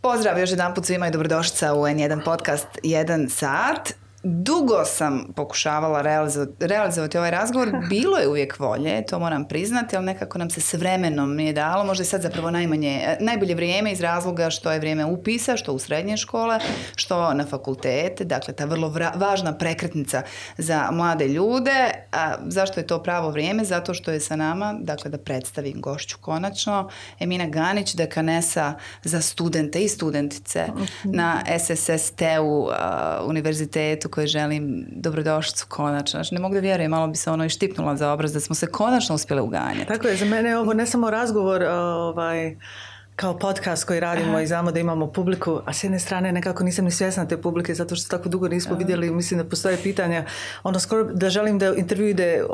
Pozdrav još jedan put svima i dobrodošlica u N1 podcast 1 sat. Dugo sam pokušavala realizovati ovaj razgovor. Bilo je uvijek volje, to moram priznati, ali nekako nam se s vremenom nije dalo. Možda je sad zapravo najbolje vrijeme iz razloga što je vrijeme upisa, što u srednje škole, što na fakultete. Dakle, ta vrlo važna prekretnica za mlade ljude. A zašto je to pravo vrijeme? Zato što je sa nama, dakle da predstavim gošću konačno, Emina Ganić, dekanesa za studente i studentice na SSST-u univerzitetu koje želim dobrodošlicu konačno. Znači, ne mogu da vjerujem, malo bi se ono i štipnula za obraz da smo se konačno uspjeli uganjati. Tako je, za mene je ovo ne samo razgovor kao podcast koji radimo i znamo da imamo publiku, a s jedne strane nekako nisam ni svjesna te publike zato što tako dugo nismo vidjeli, mislim da postoje pitanja, skoro da želim da intervju ide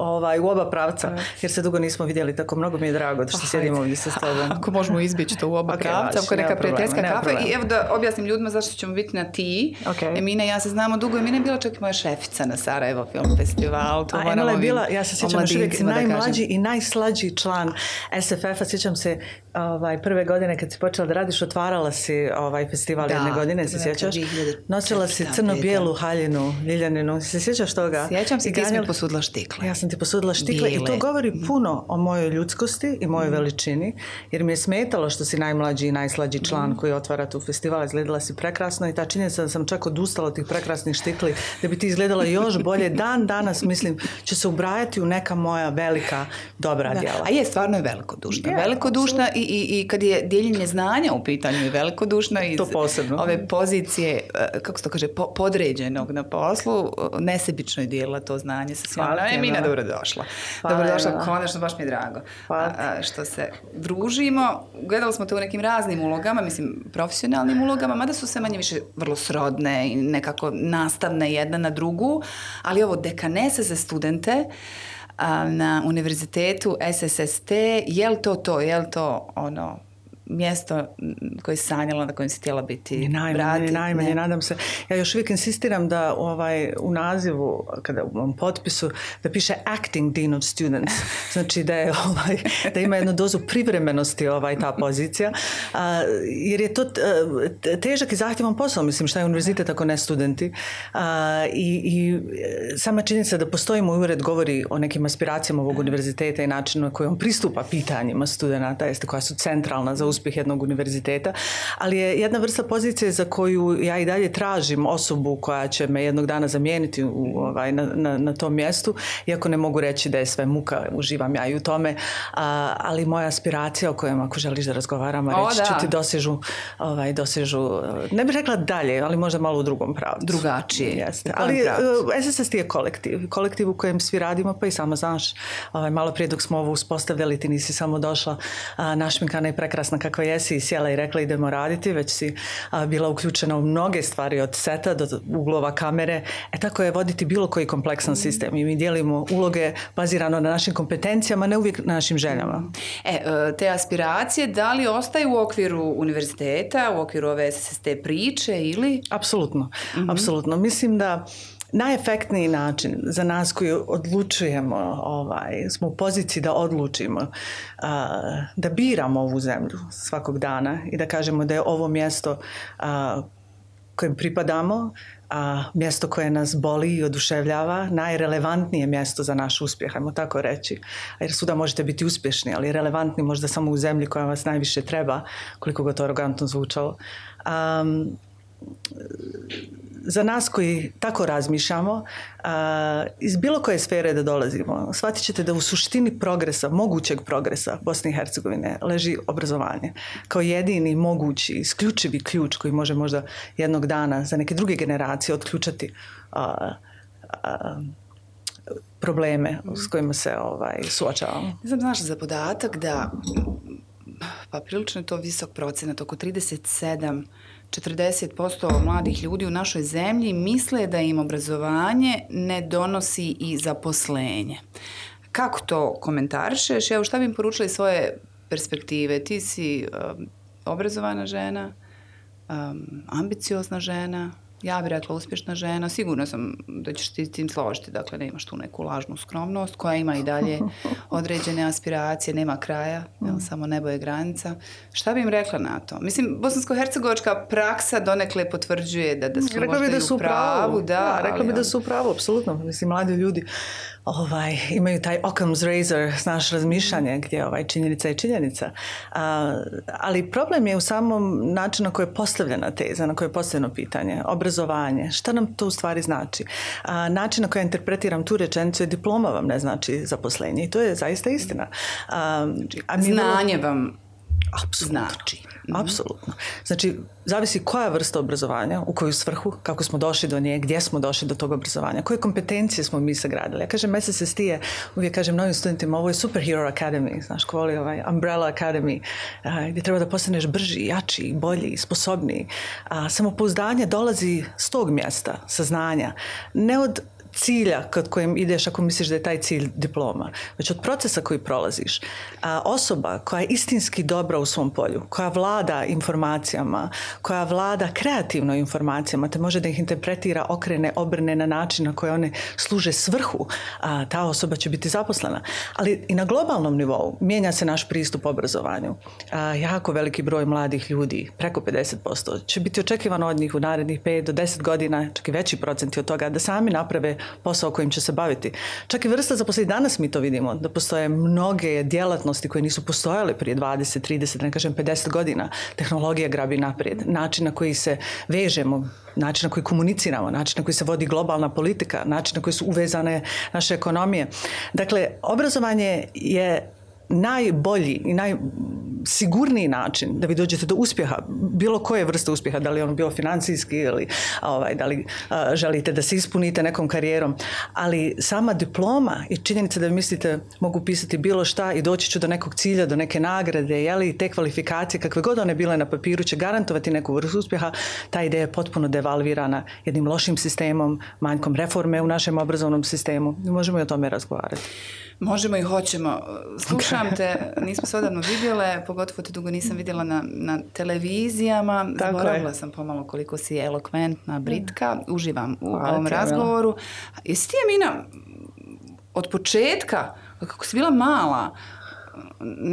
u oba pravca, jer se dugo nismo vidjeli, tako mnogo mi je drago da što sjedimo ovdje sa tobom. Ako možemo izbjeći to u oba pravca, ako neka prijateljska kafa. I evo da objasnim ljudima zašto ćemo biti na ti. Emina i ja se znamo dugo, Emina je bila čak i moja šefica na Sarajevo Film Festivalu. Emila je bila, ja se sjećam još uvijek, najmlađi i najslađi član SFF-a, sjećam se prve godine kad si počela da radiš, otvarala si festival jedne godine, se sjećaš? Nosila si crno-bijelu haljinu, ljiljaninu, se sjećaš toga? Sjećam se, ti si mi posudila štikle. Ja sam ti posudila štikle i to govori puno o mojoj ljudskosti i mojoj veličini, jer mi je smetalo što si najmlađi i najslađi član koji otvara tu festival. Izgledala si prekrasno i ta činjenica da sam čak odustala od tih prekrasnih štikli da bi ti izgledala još bolje. Dan danas, mislim, će se ubrajati u neka moja velika dobra djela. A je, stvarno je velikodušna. Velikodušna i kad je dijeljenje znanja u pitanju je velikodušna iz ove pozicije, kako se to kaže, podređenog na poslu, nesebično je dijelila to znanje sa svima. Emina, dobrodošla. Dobrodošla, konačno, baš mi je drago. Što se družimo. Gledali smo te u nekim raznim ulogama, mislim, profesionalnim ulogama, mada su se manje više vrlo srodne i nekako nastavne jedna na drugu, ali ovo dekanese za studente na univerzitetu SSST, je li to ono mjesto koje si sanjala, na kojem si htjela biti? Najmanje, nadam se. Ja još uvijek insistiram da u nazivu, kada u ovom potpisu, da piše Acting Dean of Students. Znači da ima jednu dozu privremenosti ta pozicija. Jer je to težak i zahtjevan posao. Mislim, šta je univerzitet ako ne studenti. I sama činjenica da postoji moj ured govori o nekim aspiracijama ovog univerziteta i načinu na koji on pristupa pitanjima studenata, koja su centralna za uspjeh jednog univerziteta, ali je jedna vrsta pozicije za koju ja i dalje tražim osobu koja će me jednog dana zamijeniti na tom mjestu, iako ne mogu reći da je sve muka, uživam ja i u tome, ali moja aspiracija o kojem ako želiš da razgovaramo, reći ću ti dosežu, ne bih rekla dalje, ali možda malo u drugom pravcu. Drugačije. Jeste. Ali SSST je kolektiv u kojem svi radimo, pa i sama znaš, malo prije dok smo ovo uspostavljali, ti nisi samo došla našminkana i prekrasna kakva jesi i sjela i rekla idemo raditi, već si bila uključena u mnoge stvari od seta do uglova kamere. Tako je voditi bilo koji kompleksan sistem i mi dijelimo uloge bazirano na našim kompetencijama, ne uvijek na našim željama. Te aspiracije, da li ostaju u okviru univerziteta, u okviru ove SSST priče ili? Apsolutno. Mislim da najefektniji način za nas koji odlučujemo, smo u poziciji da odlučimo, da biramo ovu zemlju svakog dana i da kažemo da je ovo mjesto kojem pripadamo, mjesto koje nas boli i oduševljava, najrelevantnije mjesto za naš uspjeh, ajmo tako reći. Jer svuda možete biti uspješni, ali relevantni možda samo u zemlji koja vas najviše treba, koliko ga to arogantno zvučalo. Za nas koji tako razmišljamo, iz bilo koje sfere da dolazimo, shvatit ćete da u suštini progresa, mogućeg progresa Bosne i Hercegovine leži obrazovanje. Kao jedini mogući, isključivi ključ koji može možda jednog dana za neke druge generacije otključati probleme s kojima se suočavamo. Ne znam, znaš za podatak da prilično je to visok procenat, oko 40% mladih ljudi u našoj zemlji misle da im obrazovanje ne donosi i zaposlenje. Kako to komentarišeš? Evo, šta bi im poručila iz svoje perspektive? Ti si obrazovana žena, ambiciozna žena, Ja bih rekla uspješna žena, sigurno sam da ćeš ti s tim složiti, dakle ne imaš tu neku lažnu skromnost koja ima i dalje određene aspiracije, nema kraja, samo nebo je granica. Šta bi im rekla na to? Mislim, bosansko-hercegovačka praksa donekle potvrđuje da su rekla možda i u pravu. Rekla bi da su u pravu, apsolutno. Mislim, mladi ljudi imaju taj Occam's razor, znaš, razmišljanje gdje činjenica je činjenica. Ali problem je u samom načinu na koji je postavljena teza, na koje je postavljeno pitanje. Obrazovanje. Šta nam to u stvari znači? Način na koji ja interpretiram tu rečenicu je diploma vam ne znači zaposlenje. I to je zaista istina. Znanje vam znači. Apsolutno. Znači, zavisi koja vrsta obrazovanja, u koju svrhu, kako smo došli do nje, gdje smo došli do tog obrazovanja, koje kompetencije smo mi sagradili. Ja kažem, SSST je, uvijek kažem novim studentima, ovo je Superhero Academy, znaš, ko voli Umbrella Academy, gdje treba da postaneš brži, jači, bolji, sposobniji. Samopouzdanje dolazi s tog mjesta, saznanja, ne od cilja kod kojim ideš ako misliš da je taj cilj diploma, već od procesa koji prolaziš. Osoba koja je istinski dobra u svom polju, koja vlada informacijama, koja vlada kreativno informacijama, te može da ih interpretira, okrene, obrne na način na koji one služe svrhu, ta osoba će biti zaposlena. Ali i na globalnom nivou mijenja se naš pristup obrazovanju. Jako veliki broj mladih ljudi, preko 50%, će biti očekivano od njih u narednih 5 do 10 godina, čak i veći procenti od toga, da sami naprave posao kojim će se baviti. Čak i vrsta zaposlenih, danas mi to vidimo, da postoje mnoge djelatnosti koje nisu postojale prije 20, 30, ne kažem 50 godina. Tehnologija grabi naprijed. Način na koji se vežemo, način na koji komuniciramo, način na koji se vodi globalna politika, način na koji su uvezane naše ekonomije. Dakle, obrazovanje je najbolji i najsigurniji način da vi dođete do uspjeha, bilo koje vrste uspjeha, da li ono bilo financijski ili da li želite da se ispunite nekom karijerom, ali sama diploma i činjenica da vi mislite mogu pisati bilo šta i doći ću do nekog cilja, do neke nagrade, jeli te kvalifikacije, kakve god one bile na papiru, će garantovati neku vrstu uspjeha, ta ideja je potpuno devalvirana jednim lošim sistemom, manjkom reforme u našem obrazovnom sistemu. I možemo i o tome razgovarati. Možemo i hoćemo. Slušam te, nismo se odavno vidjele, pogotovo te dugo nisam vidjela na televizijama. Zaboravila sam pomalo koliko si elokventna, britka. Uživam u ovom razgovoru. Jesi ti, Emina, od početka, kako si bila mala,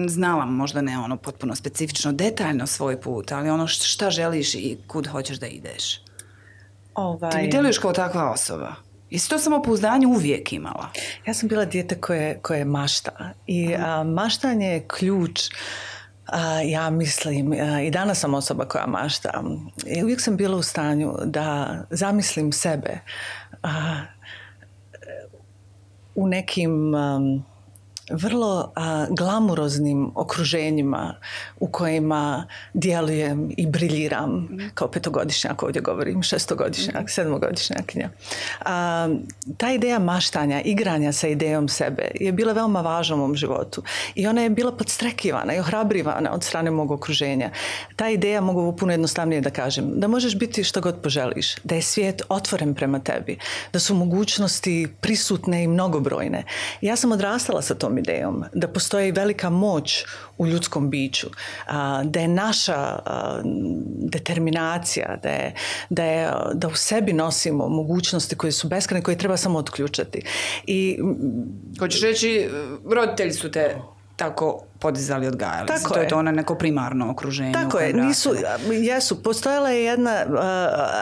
znala možda ne ono potpuno specifično, detaljno svoj put, ali ono šta želiš i kud hoćeš da ideš? Ti mi djeluješ kao takva osoba. Jesi to samopouzdanje uvijek imala? Ja sam bila dijete koje mašta. I maštanje je ključ, ja mislim, i danas sam osoba koja mašta. I uvijek sam bila u stanju da zamislim sebe u nekim vrlo glamuroznim okruženjima u kojima djelujem i briljiram kao 5-godišnjak, ovdje govorim 6-godišnjak, 7-godišnjakinja. Ta ideja maštanja, igranja sa idejom sebe je bila veoma važna u mom životu i ona je bila podstrekivana i ohrabrivana od strane mog okruženja. Ta ideja, mogu puno jednostavnije da kažem, da možeš biti što god poželiš, da je svijet otvoren prema tebi, da su mogućnosti prisutne i mnogobrojne. Ja sam odrastala sa tom idejom, da postoji velika moć u ljudskom biću, da je naša determinacija, da u sebi nosimo mogućnosti koje su beskrajne, koje treba samo otključati. Hoćeš reći, roditelji su te tako podizali, odgajali. Tako to je to ono neko primarno okruženje. Tako je, jesu. Postojala je jedna,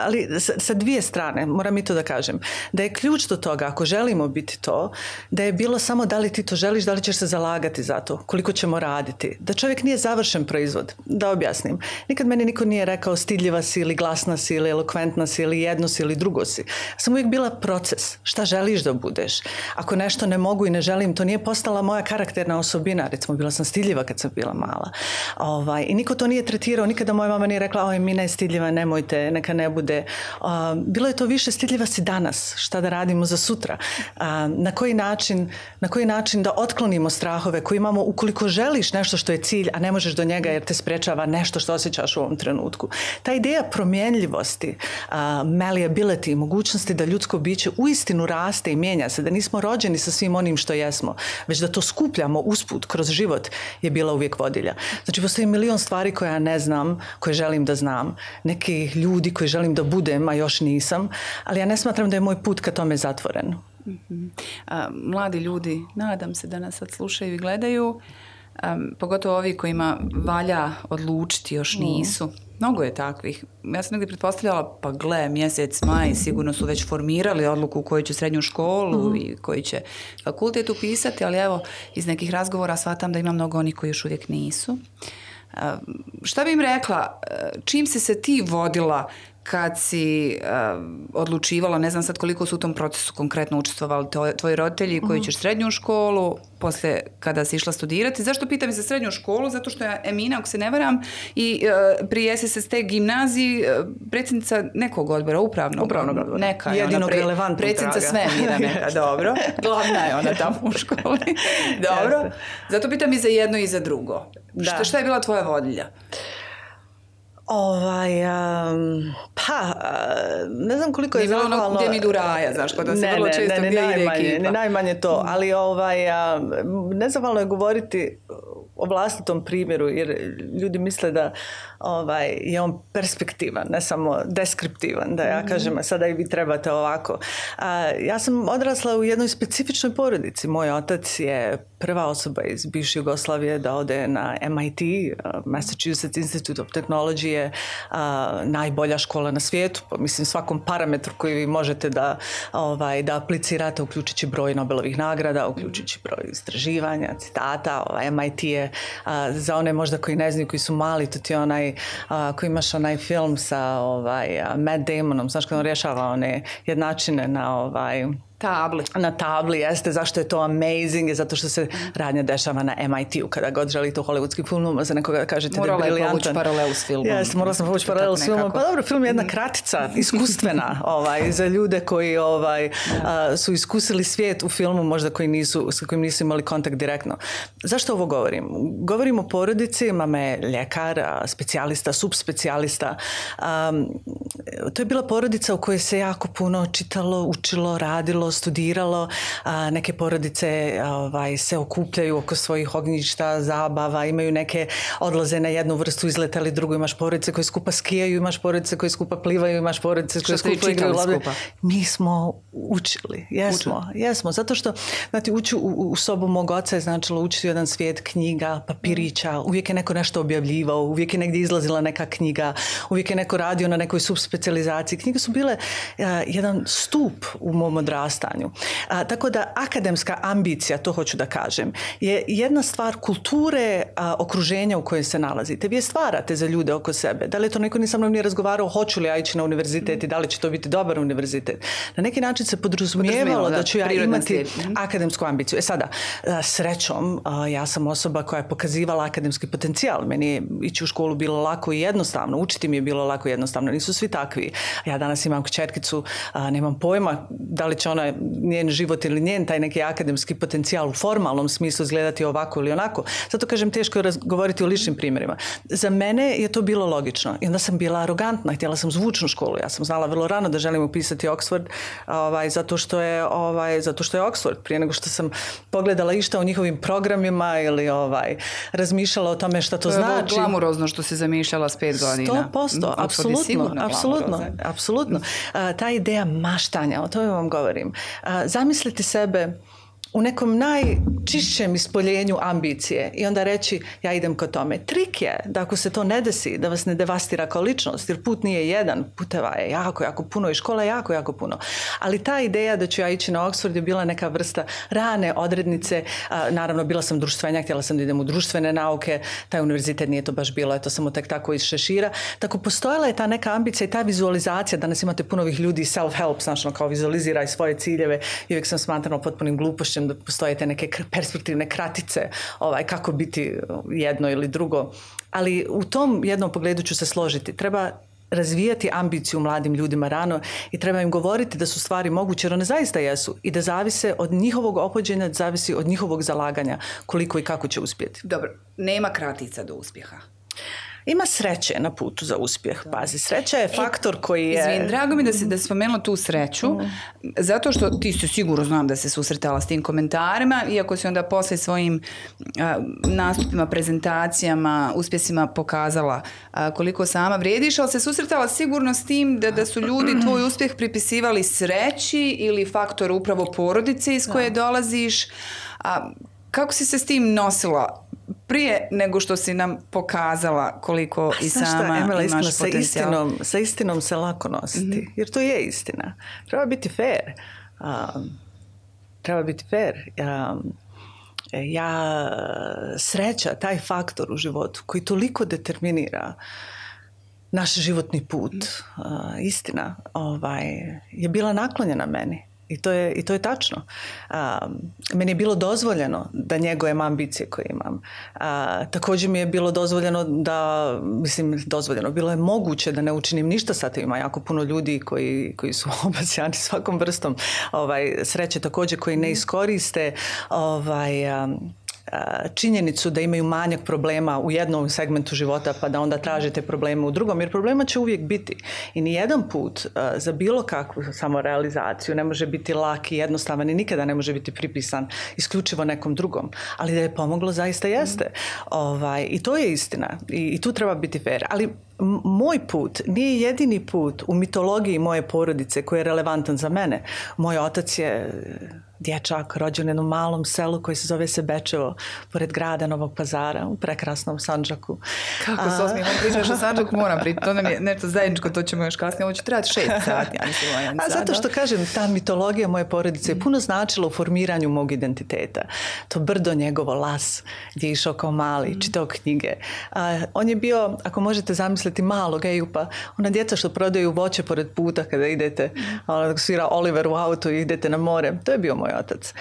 ali sa dvije strane, moram i to da kažem, da je ključ do toga, ako želimo biti to, da je bilo samo da li ti to želiš, da li ćeš se zalagati za to, koliko ćemo raditi. Da čovjek nije završen proizvod, da objasnim. Nikad meni niko nije rekao stidljiva si ili glasna si ili elokventna si ili jedno si ili drugo si. Sam uvijek bila proces. Šta želiš da budeš? Ako nešto ne mogu i ne želim, to nije postala moja karakterna osobina. Recimo, bila sam stidljiva kad sam bila mala. I niko to nije tretirao, nikada moja mama nije rekla, oj, Mina je stidljiva, nemojte, neka ne bude. Bilo je to više stidljiva si danas, šta da radimo za sutra. Na koji način da otklonimo strahove koje imamo ukoliko želiš nešto što je cilj, a ne možeš do njega jer te sprečava nešto što osjećaš u ovom trenutku. Ta ideja promjenljivosti, malleability, mogućnosti da ljudsko biće uistinu raste i mijenja se, da nismo rođeni sa svim onim što jesmo, već da to skupljamo usput kroz život je bila uvijek vodilja. Znači, postoji milion stvari koje ja ne znam, koje želim da znam. Neki ljudi koji želim da budem, a još nisam, ali ja ne smatram da je moj put ka tome zatvoren. Mladi ljudi, nadam se da nas sad slušaju i gledaju, pogotovo ovi kojima valja odlučiti, još nisu. Mnogo je takvih. Ja sam negdje pretpostavljala, pa gle, mjesec maj, sigurno su već formirali odluku koju će srednju školu i koji će fakultet upisati, ali evo, iz nekih razgovora shvatam da ima mnogo onih koji još uvijek nisu. Šta bi im rekla, čim si se ti vodila kad si odlučivala, ne znam sad koliko su u tom procesu konkretno učestvovali tvoji roditelji koji ćeš srednju školu, poslije kada si išla studirati. Zašto pitam za srednju školu? Zato što je Emina, ako se ne varam, i pri SSST gimnaziji predsjednica nekog odbora, upravnog odbora. Neka je jedinog relevantnog predsjednica svemira neka, dobro. Glavna je ona tamo u školi. Dobro. Zato pitam i za jedno i za drugo. Šta je bila tvoja vodilja? Ne znam koliko je zahvalno... Nije bilo gdje mi idu raja, znaš, kod da se vrlo često gdje ide ekipa. Ne najmanje to, ali nezahvalno je govoriti o vlastitom primjeru, jer ljudi misle da je on perspektivan, ne samo deskriptivan, da ja kažem, sada i vi trebate ovako. Ja sam odrasla u jednoj specifičnoj porodici. Moj otac je prva osoba iz bivše Jugoslavije da ode na MIT, Massachusetts Institute of Technology je najbolja škola na svijetu, mislim svakom parametru koji vi možete da aplicirate, uključujući broj Nobelovih nagrada, uključujući broj istraživanja, citata. MIT je, za one možda koji ne znaju, koji su mali, to ti je onaj koji imaš onaj film sa Matt Damonom, znaš kad on rješava one jednačine na tabli, jeste. Zašto je to amazing? Je zato što se radnja dešava na MIT-u. Kada god želite u hollywoodskim filmima za nekoga kažete da je briljantan. Morala je povući paralelu s filmom. Jeste, morala sam povući paralelu s filmom. Pa dobro, film je jedna kratica, iskustvena za ljude koji su iskusili svijet u filmu, možda s kojim nisu imali kontakt direktno. Zašto ovo govorim? Govorim o porodici, mama je ljekar, specijalista, subspecijalista. To je bila porodica u kojoj se jako puno čitalo, učilo, radilo, studiralo. Neke porodice se okupljaju oko svojih ognjišta, zabava, imaju neke odlaze na jednu vrstu, izletali drugu, imaš porodice koje skupa skijaju, imaš porodice koje skupa plivaju, imaš porodice koje skupa igraju lopte. Mi smo učili, jesmo, zato što ući u sobu mog oca je značilo učiti jedan svijet knjiga, papirića, uvijek je neko nešto objavljivao, uvijek je negdje izlazila neka knjiga, uvijek je neko radio na nekoj subspecijalizaciji. Knjige su bile jedan stup u mom odrastanju. Tako da akademska ambicija, to hoću da kažem, je jedna stvar kulture okruženja u kojoj se nalazite. Vi je stvarate za ljude oko sebe. Da li je to neko ni sa mnom nije razgovarao, hoću li ja ići na univerzitet i da li će to biti dobar univerzitet. Na neki način se podrazumijevalo da ću ja imati akademsku ambiciju. Sada, srećom, ja sam osoba koja je pokazivala akademski potencijal. Meni je ići u školu bilo lako i jednostavno. Učiti mi je bilo lako i jednostavno. Nisu svi takvi. Ja danas imam kćerkicu, nemam pojma da li će ona, njen život ili njen taj neki akademski potencijal u formalnom smislu izgledati ovako ili onako. Zato kažem, teško je govoriti o ličnim primjerima. Za mene je to bilo logično. I onda sam bila arogantna, htjela sam zvučnu školu. Ja sam znala vrlo rano da želim upisati Oxford zato što je Oxford. Prije nego što sam pogledala išta o njihovim programima ili razmišljala o tome šta to znači. To je glamurozno što se zamišljala s 5 godina. 100%, apsolutno. Ta ideja maštanja, o tome vam govorim. Zamislite sebe u nekom najčišćem ispoljenju ambicije i onda reći ja idem ka tome. Trik je da ako se to ne desi, da vas ne devastira kao ličnost, jer put nije jedan, puteva je jako puno i škola je jako puno. Ali ta ideja da ću ja ići na Oxford je bila neka vrsta rane odrednice. Naravno, bila sam društvenja, htjela sam da idem u društvene nauke, taj univerzitet nije to baš bilo, je to samo tek tako iz šešira. Tako postojala je ta neka ambicija i ta vizualizacija. Danas imate puno ovih ljudi self-help, znači kao vizualiziraj svoje ciljeve i uvijek sam smatrala potpunim glupošćem da postoje te neke perspektivne kratice kako biti jedno ili drugo. Ali u tom jednom pogledu ću se složiti. Treba razvijati ambiciju mladim ljudima rano i treba im govoriti da su stvari moguće, jer one zaista jesu i da zavise od njihovog ophođenja, zavisi od njihovog zalaganja koliko i kako će uspjeti. Dobro, nema kratica do uspjeha. Ima sreće na putu za uspjeh. Pazi, sreća je faktor koji je... Izvin, drago mi da spomenula tu sreću, zato što ti se sigurno znam da se susretala s tim komentarima, iako si onda posle svojim nastupima, prezentacijama, uspjesima pokazala koliko sama vrijediš, ali se susretala sigurno s tim da su ljudi tvoj uspjeh pripisivali sreći ili faktor upravo porodice iz koje dolaziš. Kako si se s tim nosila prije nego što si nam pokazala koliko i sama Emela, imaš potencijal? Sa istinom se lako nositi, jer to je istina. Treba biti fair. Sreća, taj faktor u životu koji toliko determinira naš životni put, istina, je bila naklonjena meni. I to je tačno. Meni je bilo dozvoljeno da njegujem ambicije koje imam. Također mi je bilo dozvoljeno bilo je moguće da ne učinim ništa sa tim. Ima jako puno ljudi koji su obasjani svakom vrstom sreće, također koji ne iskoriste činjenicu da imaju manjak problema u jednom segmentu života pa da onda tražite probleme u drugom, jer problema će uvijek biti. I nijedan put za bilo kakvu samorealizaciju ne može biti lak i jednostavan i nikada ne može biti pripisan isključivo nekom drugom. Ali da je pomoglo zaista jeste. I to je istina. I tu treba biti fair. Ali moj put nije jedini put u mitologiji moje porodice koji je relevantan za mene. Moj otac je dječak rođen u jednom malom selu koji se zove Sebečevo, pored grada Novog Pazara, u prekrasnom Sandžaku. Kako se osmijemo pričaš o Sandžaku, moram pričati. To nam je nešto zajedničko, to ćemo još kasnije. Ovo će trebati 6 sati. Zato što kažem, ta mitologija moje porodice je puno značila u formiranju mog identiteta. To brdo njegovo, Las, gdje je išao kao mali, čitao knjige. On je bio, ako možete zamisliti, malog Ejupa, ona djeca što prodaju voće pored puta kada idete, svira Oliver u auto i idete na more. To je bio moj otac.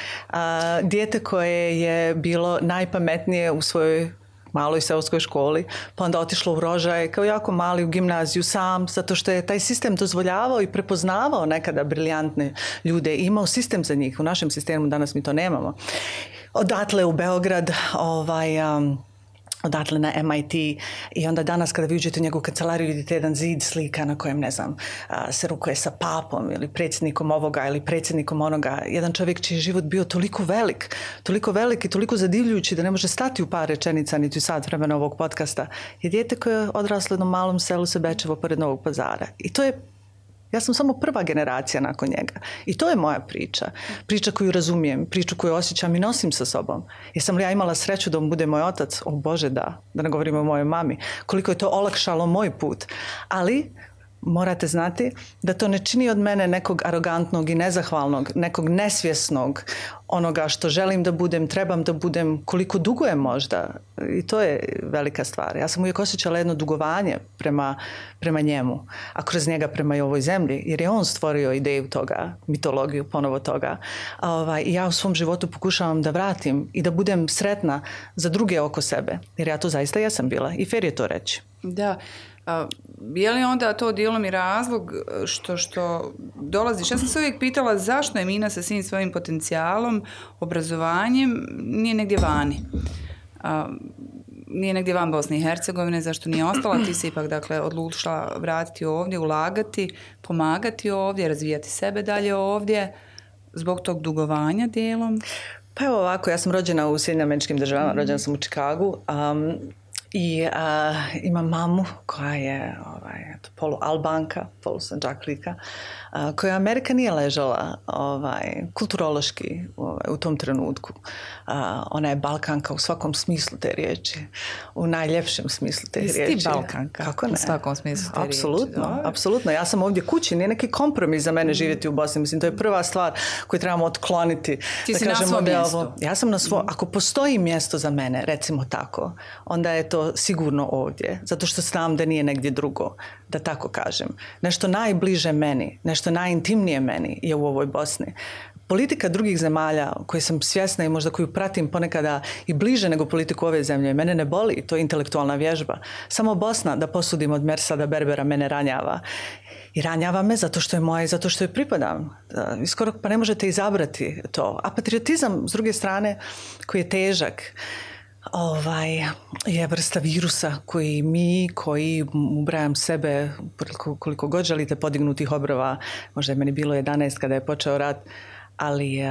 Dijete koje je bilo najpametnije u svojoj maloj seoskoj školi, pa onda otišlo u Rožaj kao jako mali u gimnaziju sam, zato što je taj sistem dozvoljavao i prepoznavao nekada briljantne ljude. Imao sistem za njih. U našem sistemu danas mi to nemamo. Odatle u Beograd, odatle na MIT i onda danas kada vi uđete u njegovu kancelariju vidite jedan zid slika na kojem, ne znam, se rukuje sa papom ili predsjednikom ovoga ili predsjednikom onoga. Jedan čovjek čiji je život bio toliko velik i toliko zadivljujući da ne može stati u par rečenica niti u sat vremena ovog podcasta, je dijete koje je odraslo u jednom malom selu Sebečevo pored Novog Pazara. I to je, ja sam samo prva generacija nakon njega. I to je moja priča. Priča koju razumijem, priču koju osjećam i nosim sa sobom. Jesam li ja imala sreću da on bude moj otac? O Bože, da ne govorimo o mojoj mami. Koliko je to olakšalo moj put. Ali morate znati da to ne čini od mene nekog arogantnog i nezahvalnog, nekog nesvjesnog onoga što želim da budem, trebam da budem, koliko dugujem možda. I to je velika stvar. Ja sam uvijek osjećala jedno dugovanje prema njemu, a kroz njega prema i ovoj zemlji, jer je on stvorio ideju toga, mitologiju ponovo toga. I ja u svom životu pokušavam da vratim i da budem sretna za druge oko sebe, jer ja to zaista jesam bila i fair je to reći. Da. Je li onda to dijelom i razlog što dolaziš? Ja sam se uvijek pitala zašto je Mina sa svim svojim potencijalom, obrazovanjem nije negdje vani. Nije negdje van Bosne i Hercegovine, zašto nije ostala? Ti se ipak odlučila vratiti ovdje, ulagati, pomagati ovdje, razvijati sebe dalje ovdje, zbog tog dugovanja dijelom? Pa evo ovako, ja sam rođena u Sjedinjenim Američkim Državama, rođena sam u Chicagu. I imam mamu koja je polu-Albanka, polu-Sandžaklika, koja Amerika nije ležala kulturološki u tom trenutku. Ona je Balkanka u svakom smislu te riječi, u najljepšem smislu te riječi. Jesi ti Balkanka? Kako ne? U svakom smislu te riječi. Apsolutno. Ja sam ovdje kući, nije neki kompromis za mene živjeti u Bosni. Mislim, to je prva stvar koju trebamo otkloniti. Ti si na svom mjestu. Ja sam na svom. Ako postoji mjesto za mene, recimo tako, onda je to sigurno ovdje. Zato što znam da nije negdje drugo, da tako kažem. Nešto najbliže meni, nešto najintimnije meni je u ovoj Bosni. Politika drugih zemalja koje sam svjesna i možda koju pratim ponekada i bliže nego politiku ove zemlje, mene ne boli, to je intelektualna vježba. Samo Bosna, da posudim od Mersada Berbera, mene ranjava. I ranjava me zato što je moja i zato što je pripadam. Skoro pa ne možete izabrati to. A patriotizam, s druge strane, koji je težak, je vrsta virusa koji ubrajam sebe koliko god želite podignutih obrova, možda je meni bilo 11 kada je počeo rat, ali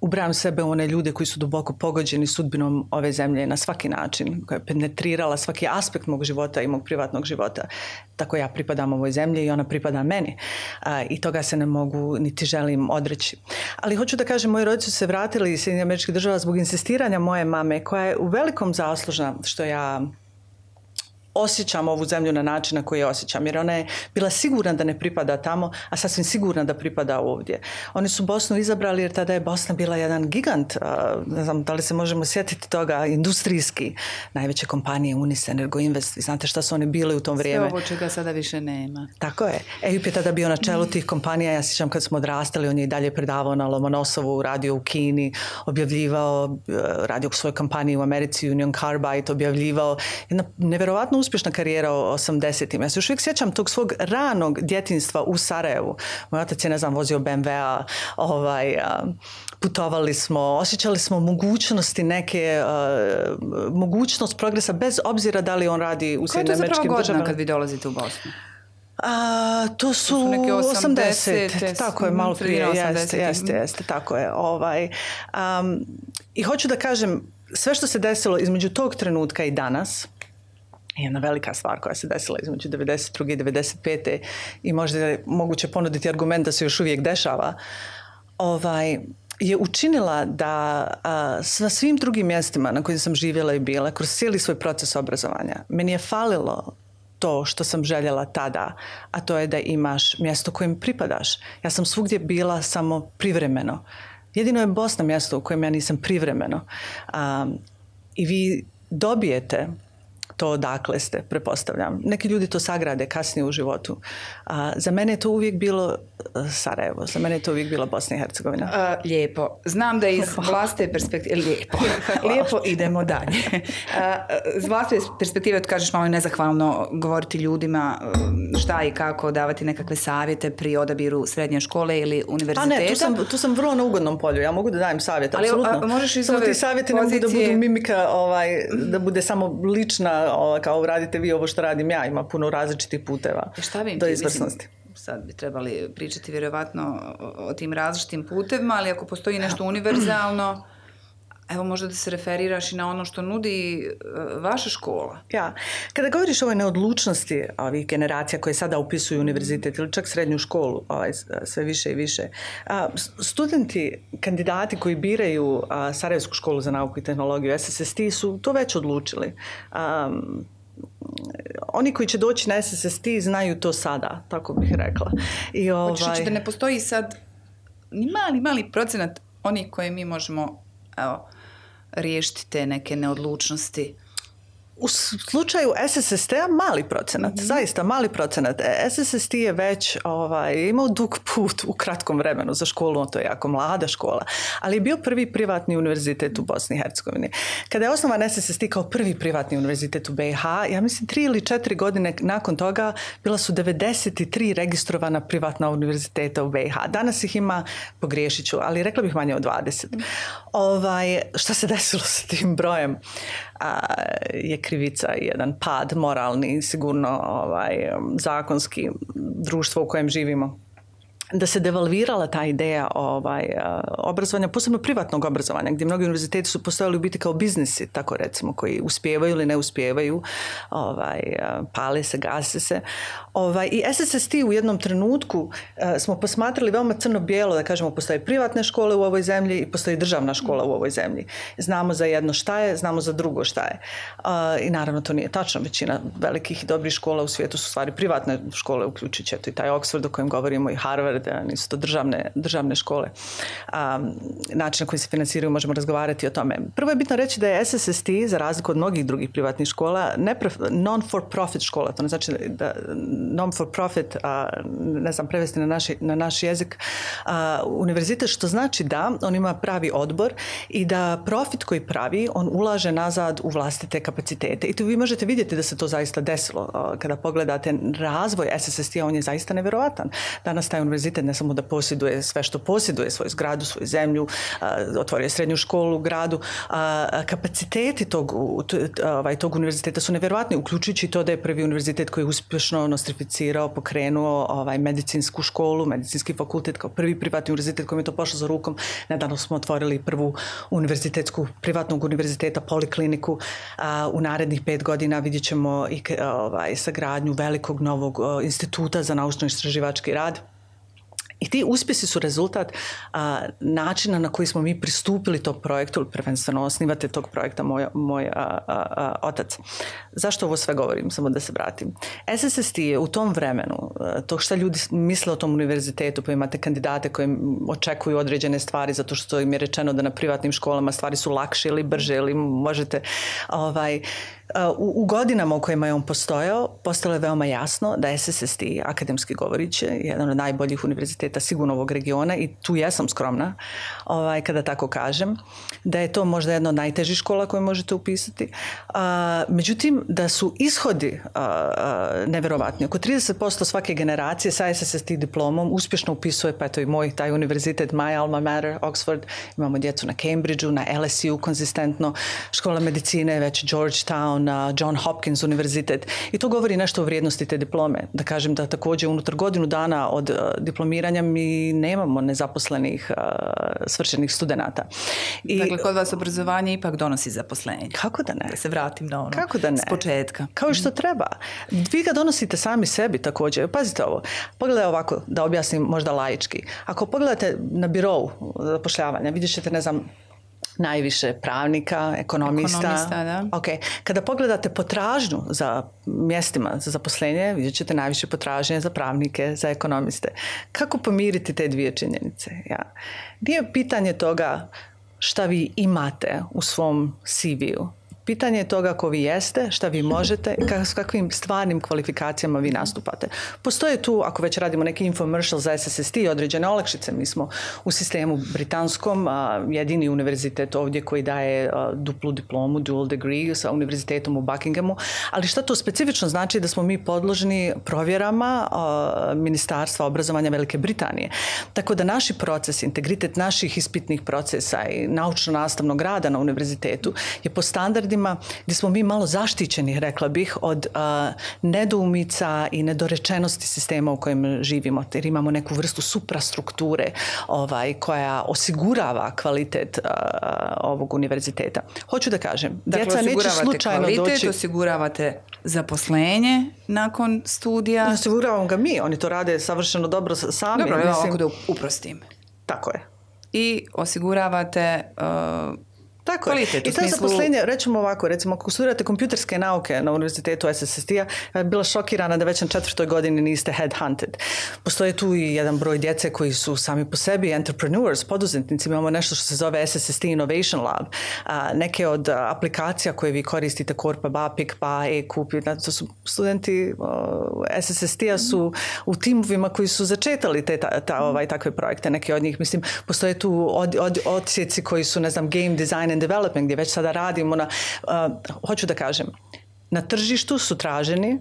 ubrajam sebe u one ljude koji su duboko pogođeni sudbinom ove zemlje na svaki način, koja je penetrirala svaki aspekt mog života i mog privatnog života. Tako ja pripadam ovoj zemlji i ona pripada meni. I toga se ne mogu niti želim odreći. Ali hoću da kažem, moji roditelji su se vratili iz Sjedinjenih Američkih Država zbog insistiranja moje mame, koja je u velikom zaslužna što ja osjećam ovu zemlju na način na koji je osjećam, jer ona je bila sigurna da ne pripada tamo, a sasvim sigurna da pripada ovdje. Oni su Bosnu izabrali jer tada je Bosna bila jedan gigant, ne znam da li se možemo sjetiti toga, industrijski, najveće kompanije Unis, Energoinvest, vi znate šta su oni bili u tom vrijeme. Sve ovo čega sada više nema. Tako je. EIP je tada bio na čelu tih kompanija, ja sjećam kad smo odrastali, on je i dalje predavao na Lomonosovu, radio u Kini, objavljivao, radio u svojoj kompaniji u Americi, Union Carbide, objavljivao jedna neverovatno uspješna karijera u 80-im. Ja se još uvijek sjećam tog svog ranog djetinjstva u Sarajevu. Moj otac je, ne znam, vozio BMW-a, putovali smo, osjećali smo mogućnosti neke, mogućnost progresa bez obzira da li on radi u Sjedinjenim Američkim Državama. Koja je to zapravo godina kad vi dolazite u Bosnu? To su neke 80, tako je, malo prije, jeste, tako je. I hoću da kažem, sve što se desilo između tog trenutka i danas, jedna velika stvar koja se desila između 92. i 95. i možda je moguće ponuditi argument da se još uvijek dešava, je učinila da sa svim drugim mjestima na kojim sam živjela i bila, kroz cijeli svoj proces obrazovanja, meni je falilo to što sam željela tada, a to je da imaš mjesto kojem pripadaš. Ja sam svugdje bila samo privremeno. Jedino je Bosna mjesto u kojem ja nisam privremeno. I vi dobijete to odakle ste, pretpostavljam. Neki ljudi to sagrade kasnije u životu. Za mene je to uvijek bilo Sarajevo, za mene je to uvijek bila Bosna i Hercegovina. Lijepo. Znam da iz vlastite perspektive... Lijepo, idemo dalje. Iz vlastite perspektive, kažeš, malo je nezahvalno govoriti ljudima šta i kako, davati nekakve savjete pri odabiru srednje škole ili univerziteta. Ne, tu sam vrlo na ugodnom polju. Ja mogu da dajem savjet, apsolutno. Možeš iz samo ove ti savjeti ne mogu da budu mimika, da bude samo lična, kao radite vi ovo što radim ja, ima puno različitih puteva do izvrsnosti. Sad bi trebali pričati vjerovatno o tim različitim putevima, ali ako postoji nešto univerzalno, evo možda da se referiraš i na ono što nudi vaša škola. Ja, kada govoriš o ovoj neodlučnosti ovih generacija koje sada upisuju univerzitet ili čak srednju školu, sve više i više, studenti, kandidati koji biraju Sarajevsku školu za nauku i tehnologiju, SSST, su to već odlučili. Oni koji će doći na SSST znaju to sada, tako bih rekla. Hoćeš da ne postoji sad ni mali procenat onih koje mi možemo riješiti te neke neodlučnosti? U slučaju SSST-a mali procenat, zaista mali procenat. SSST je već imao dug put u kratkom vremenu za školu, to je jako mlada škola, ali je bio prvi privatni univerzitet u Bosni i Hercegovini. Kada je osnovan SSST kao prvi privatni univerzitet u BiH, ja mislim 3 ili 4 godine nakon toga bila su 93 registrovana privatna univerziteta u BiH. Danas ih ima, pogriješit ću, ali rekla bih manje od 20. Šta se desilo sa tim brojem? Je krivica i jedan pad moralni, sigurno zakonski, društvo u kojem živimo. Da se devalvirala ta ideja obrazovanja, posebno privatnog obrazovanja, gdje mnogi univerziteti su postojali u biti kao biznisi, tako recimo, koji uspijevaju ili ne uspijevaju, pale se, gase se. I SSST u jednom trenutku smo posmatrali veoma crno-bijelo, da kažemo, postoje privatne škole u ovoj zemlji i postoji državna škola u ovoj zemlji. Znamo za jedno šta je, znamo za drugo šta je. I naravno to nije tačno. Većina velikih i dobrih škola u svijetu su stvari privatne škole, uključujući i taj Oxford o kojem govorimo i Harvard, nisu to državne škole. Način na koji se financiraju, možemo razgovarati o tome. Prvo je bitno reći da je SSST, za razliku od mnogih drugih privatnih škola, non-for-profit škola. To ne znači da non-for-profit, ne znam prevesti na naš jezik, univerzitet, što znači da on ima pravi odbor i da profit koji pravi, on ulaže nazad u vlastite kapacitete. I tu vi možete vidjeti da se to zaista desilo. Kada pogledate razvoj SSST-a, on je zaista nevjerovatan. Danas taj univerzitet univerzitet ne samo da posjeduje sve što posjeduje, svoju zgradu, svoju zemlju, otvorio je srednju školu u gradu, kapaciteti tog univerziteta su nevjerojatni, uključujući to da je prvi univerzitet koji je uspješno nostrificirao, pokrenuo medicinsku školu, medicinski fakultet kao prvi privatni univerzitet kojim je to pošlo za rukom. Nedavno smo otvorili prvu privatnog univerziteta, polikliniku. U narednih 5 godina vidjet ćemo i sagradnju velikog novog instituta za naučno-istraživački rad. I ti uspjesi su rezultat načina na koji smo mi pristupili tog projektu, prvenstveno osnivate tog projekta moj otac. Zašto ovo sve govorim? Samo da se vratim. SSST je u tom vremenu, to što ljudi misle o tom univerzitetu, pa imate kandidate koji očekuju određene stvari zato što im je rečeno da na privatnim školama stvari su lakše ili brže ili možete... U godinama u kojima je on postojao, postalo je veoma jasno da SSST, akademski govorići, je jedan od najboljih univerziteta sigurno ovog regiona i tu jesam skromna kada tako kažem, da je to možda jedna od najtežih škola koje možete upisati. Međutim, da su ishodi nevjerovatni. Oko 30% svake generacije sa SSST diplomom uspješno upisuje, pa eto i moj taj univerzitet, my alma mater, Oxford, imamo djecu na Cambridgeu, na LSU konzistentno, škola medicine, već Georgetown, na John Hopkins univerzitet i to govori nešto o vrijednosti te diplome. Da kažem da također unutar godinu dana od diplomiranja mi nemamo nezaposlenih svršenih studenata. Dakle, kod vas obrazovanje ipak donosi zaposlenje. Kako da ne? Da se vratim na ono. Kako da ne? S početka. Kao i što treba. Vi ga donosite sami sebi također. Pazite ovo. Pogledaj ovako, da objasnim možda laički. Ako pogledate na birou zapošljavanja, vidjet ćete, ne znam, najviše pravnika, ekonomista. Da. Okay. Kada pogledate potražnju za mjestima za zaposlenje, vidjet ćete najviše potražnje za pravnike, za ekonomiste. Kako pomiriti te dvije činjenice? Nije pitanje toga šta vi imate u svom CV-u. Pitanje je toga ko vi jeste, šta vi možete i s kakvim stvarnim kvalifikacijama vi nastupate. Postoje tu, ako već radimo neki infomercial za SSST, određene olakšice. Mi smo u sistemu britanskom jedini univerzitet ovdje koji daje duplu diplomu, dual degree sa univerzitetom u Buckinghamu. Ali šta to specifično znači? Da smo mi podložni provjerama Ministarstva obrazovanja Velike Britanije. Tako da naši procesi, integritet naših ispitnih procesa i naučno-nastavnog rada na univerzitetu je po standardima gdje smo mi malo zaštićeni, rekla bih, od nedoumica i nedorečenosti sistema u kojem živimo, jer imamo neku vrstu suprastrukture koja osigurava kvalitet ovog univerziteta. Hoću da kažem, djeca neće slučajno kvalitet, doći... Osiguravate zaposlenje nakon studija. Ne osiguravamo ga mi, oni to rade savršeno dobro sami. Dobro, evo ovako da uprostim. Tako je. I osiguravate... Tako je. I to zaposlenje, rećemo ovako, recimo ako studirate kompjuterske nauke na univerzitetu SSST-a, ja bila šokirana da već na 4. godini niste headhunted. Postoje tu i jedan broj djece koji su sami po sebi entrepreneurs, poduzetnici. Imamo nešto što se zove SSST Innovation Lab. Neke od aplikacija koje vi koristite, Corpa, Pikpa, e-Kup, to su studenti SSST-a su u timovima koji su začetali takve projekte. Neki od njih, mislim, postoje tu odsjeci koji su, ne znam, game design development, gdje već sada radimo na, hoću da kažem, na tržištu su traženi,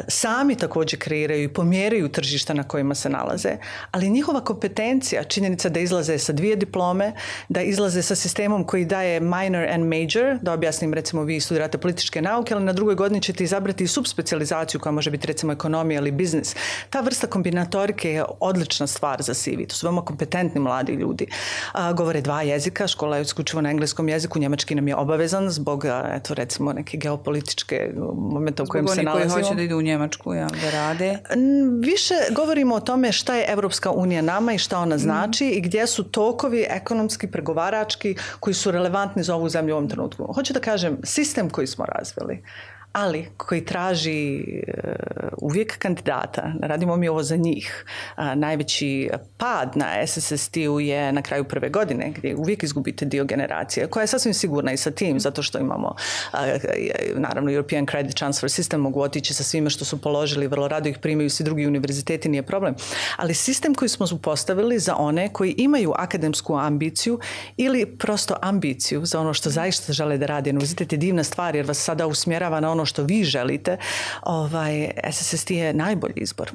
sami također kreiraju i pomjeraju tržišta na kojima se nalaze, ali njihova kompetencija, činjenica da izlaze sa 2 diplome, da izlaze sa sistemom koji daje minor and major, da objasnim, recimo vi studirate političke nauke, ali na 2. godini ćete izabrati i subspecijalizaciju koja može biti recimo ekonomija ili biznis. Ta vrsta kombinatorike je odlična stvar za CV. To su veoma kompetentni mladi ljudi. Govore 2 jezika, škola je isključivo na engleskom jeziku, njemački nam je obavezan zbog, eto, recimo neke geopolitičke momenta u kojem se nalazimo. Hoće da idu u Njemačku, da rade? Više govorimo o tome šta je Evropska unija nama i šta ona znači i gdje su tokovi ekonomski, pregovarački koji su relevantni za ovu zemlju u ovom trenutku. Hoću da kažem, sistem koji smo razvili, ali koji traži uvijek kandidata, radimo mi ovo za njih. Najveći pad na SSST-u je na kraju 1. godine, gdje uvijek izgubite dio generacije, koja je sasvim sigurna i sa tim, zato što imamo naravno European Credit Transfer System, mogu otići sa svime što su položili, vrlo rado ih primaju svi drugi univerziteti, nije problem. Ali sistem koji smo postavili za one koji imaju akademsku ambiciju ili prosto ambiciju za ono što zaista žele da rade. Univerzitet je divna stvar jer vas sada usmjerava na ono što vi želite. SSST je najbolji izbor.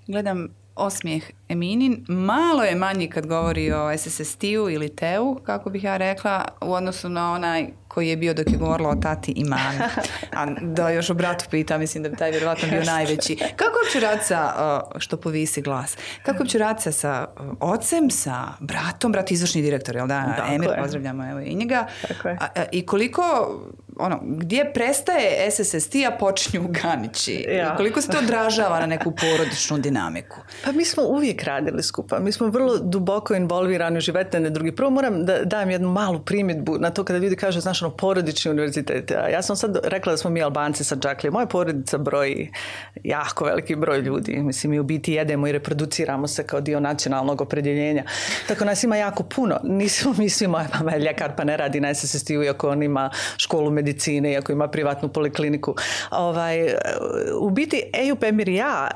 Gledam osmijeh Eminin malo je manji kad govori o SSST-u ili TEU, kako bih ja rekla, u odnosu na onaj koji je bio dok je govorila o tati i mami. A da još o bratu pita, mislim da bi taj vjerovatno bio najveći. Kako uopće rad sa, što povisi glas, kako uopće rad sa ocem, sa bratom, brat izvršni direktor, jel da? Emir, pozdravljamo evo i njega. I koliko, gdje prestaje SSST, a počinju Ganići? Ja. Koliko se to odražava na neku porodičnu dinamiku? Pa mi smo uvijek radili skupa. Mi smo vrlo duboko involvirani u život jedne drugi. Prvo moram da dajem jednu malu primjedbu na to kada ljudi kažu, znaš, porodični univerzitet. Ja sam sad rekla da smo mi Albanci sa Džaklije. Moja porodica broji jako veliki broj ljudi. Mislim, mi u biti jedemo i reproduciramo se kao dio nacionalnog opredjeljenja. Tako nas ima jako puno. Nismo mi svi, moja mama je ljekar pa ne radi na SSST-u, iako on ima školu medicine, iako ima privatnu polikliniku. U biti Eyüp, Emir i ja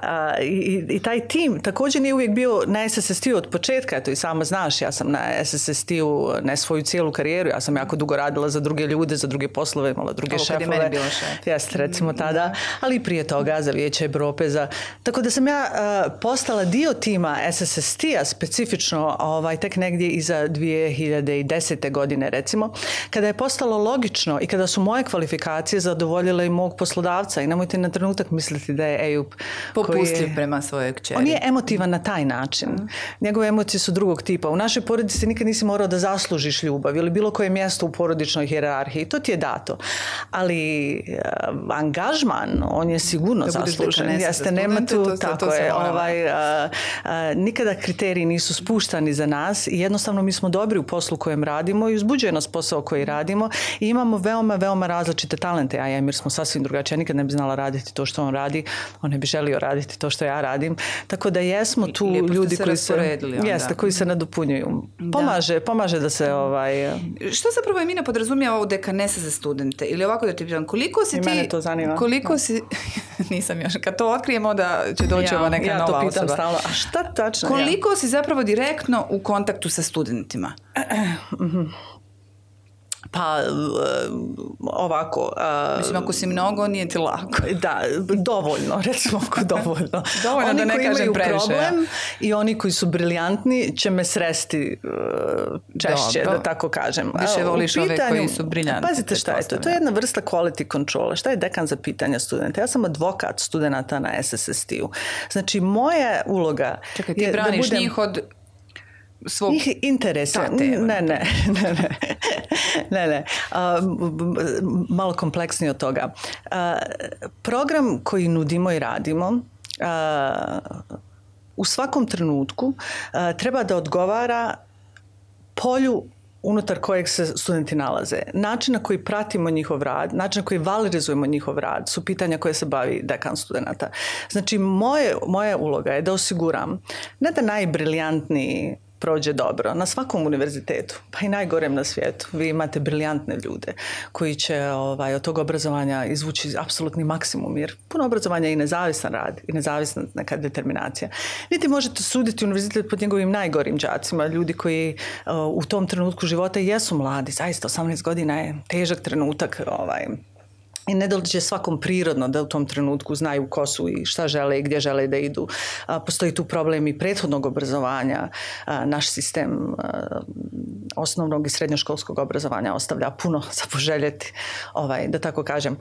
i taj tim također nije uvijek bio na SSST-u od početka. To i sama znaš, ja sam na SSST-u ne svoju cijelu karijeru. Ja sam jako dugo radila za druge ljude, za druge poslove, imala druge šefove. Ovo kad je meni bilo šef. Jeste, recimo tada. Ali i prije toga za Vijeće Europe. Tako da sam ja postala dio tima SSST-a specifično tek negdje iza 2010. godine recimo, kada je postalo logično i kada su moje kvalifikacije zadovoljile i mog poslodavca. I nemojte na trenutak misliti da je Eyüp popustljiv prema svojoj kćeri. On je emotivan na taj način. Njegove emocije su drugog tipa. U našoj porodici nikad nisi morao da zaslužiš ljubav ili bilo koje mjesto u porodičnoj hijerarhiji. To ti je dato. Ali angažman, on je sigurno zaslužen. Jeste, nema tu, tako je. Nikada kriteriji nisu spuštani za nas i jednostavno mi smo dobri u poslu kojem radimo i uzbuđuje nas posao koji radimo i imamo veoma, veoma različite talente. Ja i Emir smo sasvim drugačiji. Ja nikad ne bi znala raditi to što on radi. On ne bi želio raditi to što ja radim. Tako da jesmo tu ljudi koji se nadopunjuju. Pomaže da se Što zapravo Emina podrazumijeva u dekanesa za studente? Ili ovako da ti pitam, koliko si ti... I mene to zanima. Koliko si... Nisam još. Kad to otkrijemo da će doći ova neka nova osoba. Ja to pitam stalno. A šta tačno? Koliko si zapravo direktno u kontaktu sa studentima? Pa ovako... Mislim, ako si mnogo, nije ti lako. Da, dovoljno, recimo dovoljno. Dovoljno oni da ne kažem previše. Problem i oni koji su briljantni će me sresti češće, da tako kažem. Više voliš ove koji su briljantni. Pazite šta je to. To je jedna vrsta quality controla. Šta je dekan za pitanja studenta? Ja sam advokat studenta na SSST-u. Znači, moja uloga... Čekaj, ti braniš njih od... svog njih interesa. Ne. Malo kompleksnije od toga. Program koji nudimo i radimo u svakom trenutku treba da odgovara polju unutar kojeg se studenti nalaze. Način na koji pratimo njihov rad, način na koji valorizujemo njihov rad su pitanja koje se bavi dekan studenta. Znači, moja uloga je da osiguram ne da najbriljantniji prođe dobro na svakom univerzitetu, pa i najgorem na svijetu. Vi imate briljantne ljude koji će od tog obrazovanja izvući apsolutni maksimum, jer puno obrazovanja je i nezavisan rad i nezavisna neka determinacija. Niti možete suditi univerzitet pod njegovim najgorim đacima, ljudi koji u tom trenutku života jesu mladi. Zaista 18 godina je težak trenutak i ne dođe svakom prirodno da u tom trenutku znaju ko su i šta žele i gdje žele da idu. Postoji tu problem i prethodnog obrazovanja. Naš sistem osnovnog i srednjoškolskog obrazovanja ostavlja puno za poželjeti, da tako kažem.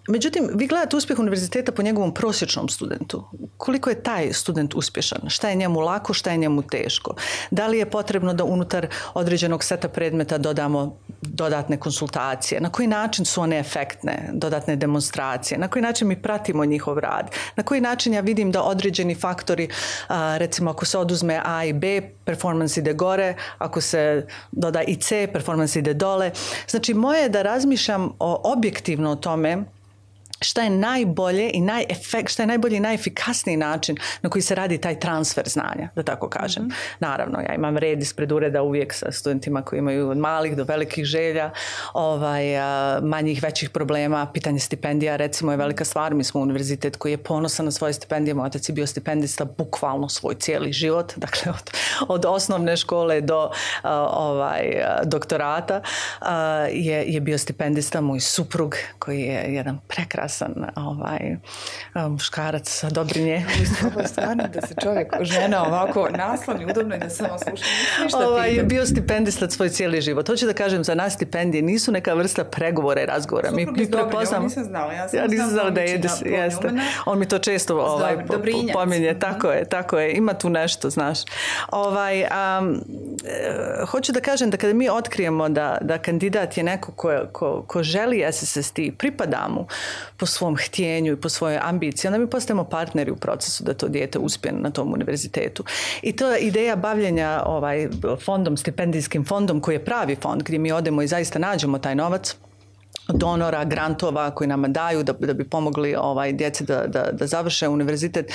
Međutim, vi gledate uspjeh univerziteta po njegovom prosječnom studentu. Koliko je taj student uspješan? Šta je njemu lako, šta je njemu teško? Da li je potrebno da unutar određenog seta predmeta dodamo dodatne konsultacije? Na koji način su one efektne? Dodatne demonstracije, na koji način mi pratimo njihov rad, na koji način ja vidim da određeni faktori, recimo ako se oduzme A i B, performans ide gore, ako se doda i C, performans ide dole. Znači, moje je da razmišljam objektivno o tome šta je najbolje i šta je najbolji i najefikasniji način na koji se radi taj transfer znanja, da tako kažem. Mm-hmm. Naravno, ja imam red ispred ureda uvijek sa studentima koji imaju od malih do velikih želja, manjih, većih problema. Pitanje stipendija, recimo, je velika stvar. Mi smo univerzitet koji je ponosan na svoje stipendije. Moj otac je bio stipendista bukvalno svoj cijeli život, dakle od osnovne škole do doktorata je bio stipendista. Moj suprug koji je jedan prekrasan prekrasan muškarac sa dobrinje. Ovo je stvarno da se čovjek, žena ovako nasloni udobno i da samo sluša. Bio stipendista svoj cijeli život. Hoću da kažem, za nas stipendije nisu neka vrsta pregovora i razgovora. Mi prepoznamo. Nisam znala. Ja nisam znala da je on mi to često pominje. Tako je. Ima tu nešto, znaš. Hoću da kažem da kada mi otkrijemo da kandidat je neko ko želi SSST, pripada mu po svom htjenju i po svojoj ambiciji, onda mi postajemo partneri u procesu da to dijete uspije na tom univerzitetu. I to je ideja bavljenja fondom, stipendijskim fondom, koji je pravi fond gdje mi odemo i zaista nađemo taj novac, donora, grantova koji nama daju da bi pomogli djeci da završe univerzitet.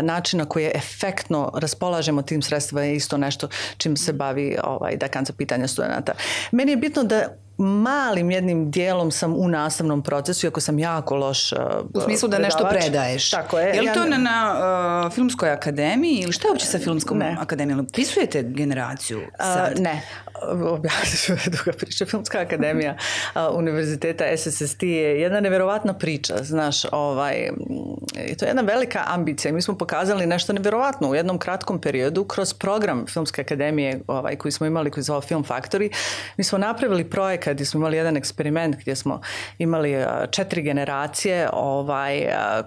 Način na koji je efektno raspolažemo tim sredstvima je isto nešto čim se bavi dekan za pitanja studenata. Meni je bitno da malim jednim dijelom sam u nastavnom procesu, iako sam jako loš u smislu da nešto predaješ. Tako je. Je li to na Filmskoj akademiji ili šta je uopće sa Filmskom akademijom? Pisujete generaciju sad? Ne. Objasnit ću duga priča. Filmska akademija univerziteta SSST je jedna nevjerovatna priča. Znaš, to je jedna velika ambicija. Mi smo pokazali nešto nevjerovatno u jednom kratkom periodu kroz program Filmske akademije koji smo imali, koji se zvao Film Factory. Mi smo napravili projekat gdje smo imali jedan eksperiment gdje smo imali 4 generacije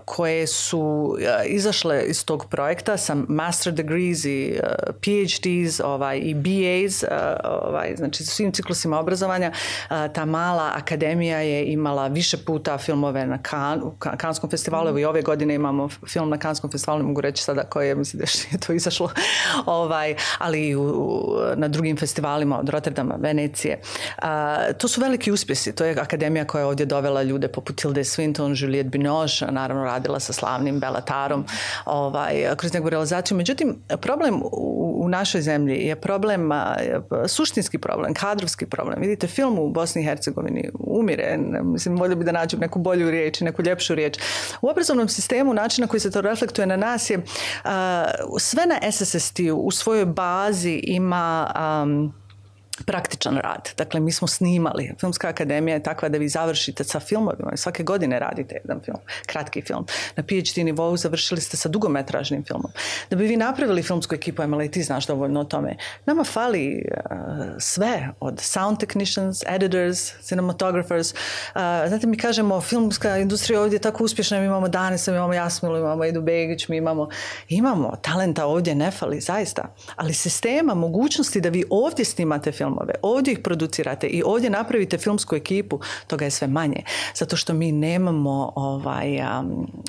koje su izašle iz tog projekta sa master degrees i PhDs i BAs, znači svim ciklusima obrazovanja. Ta mala akademija je imala više puta filmove na Canneskom festivalu. I ove godine imamo film na Canneskom festivalu, ne mogu reći sada koji je, mislim da je to izašlo, ali i na drugim festivalima od Rotterdama, Venecije. To su veliki uspjesi. To je akademija koja je ovdje dovela ljude poput Tilde Swinton, Juliette Binoche, naravno radila sa slavnim Bellatarom kroz njegovu realizaciju. Međutim, problem u našoj zemlji je problem, suštinski problem, kadrovski problem. Vidite, film u Bosni i Hercegovini umire. Mislim, volio bi da nađem neku bolju riječ, neku ljepšu riječ. U obrazovnom sistemu način na koji se to reflektuje na nas je sve na SSST-u u svojoj bazi ima praktičan rad. Dakle, mi smo snimali. Filmska akademija je takva da vi završite sa filmovima. Svake godine radite jedan film, kratki film. Na PhD nivou završili ste sa dugometražnim filmom. Da bi vi napravili filmsku ekipu, Emila, i ti znaš dovoljno o tome, nama fali sve od sound technicians, editors, cinematographers. Znate, mi kažemo, filmska industrija ovdje je tako uspješna, mi imamo Danisa, mi imamo Jasmilu, imamo Edu Begić, mi imamo talenta ovdje, ne fali, zaista. Ali sistema, mogućnosti da vi ovdje snimate filmove, ovdje ih producirate i ovdje napravite filmsku ekipu, toga je sve manje. Zato što mi nemamo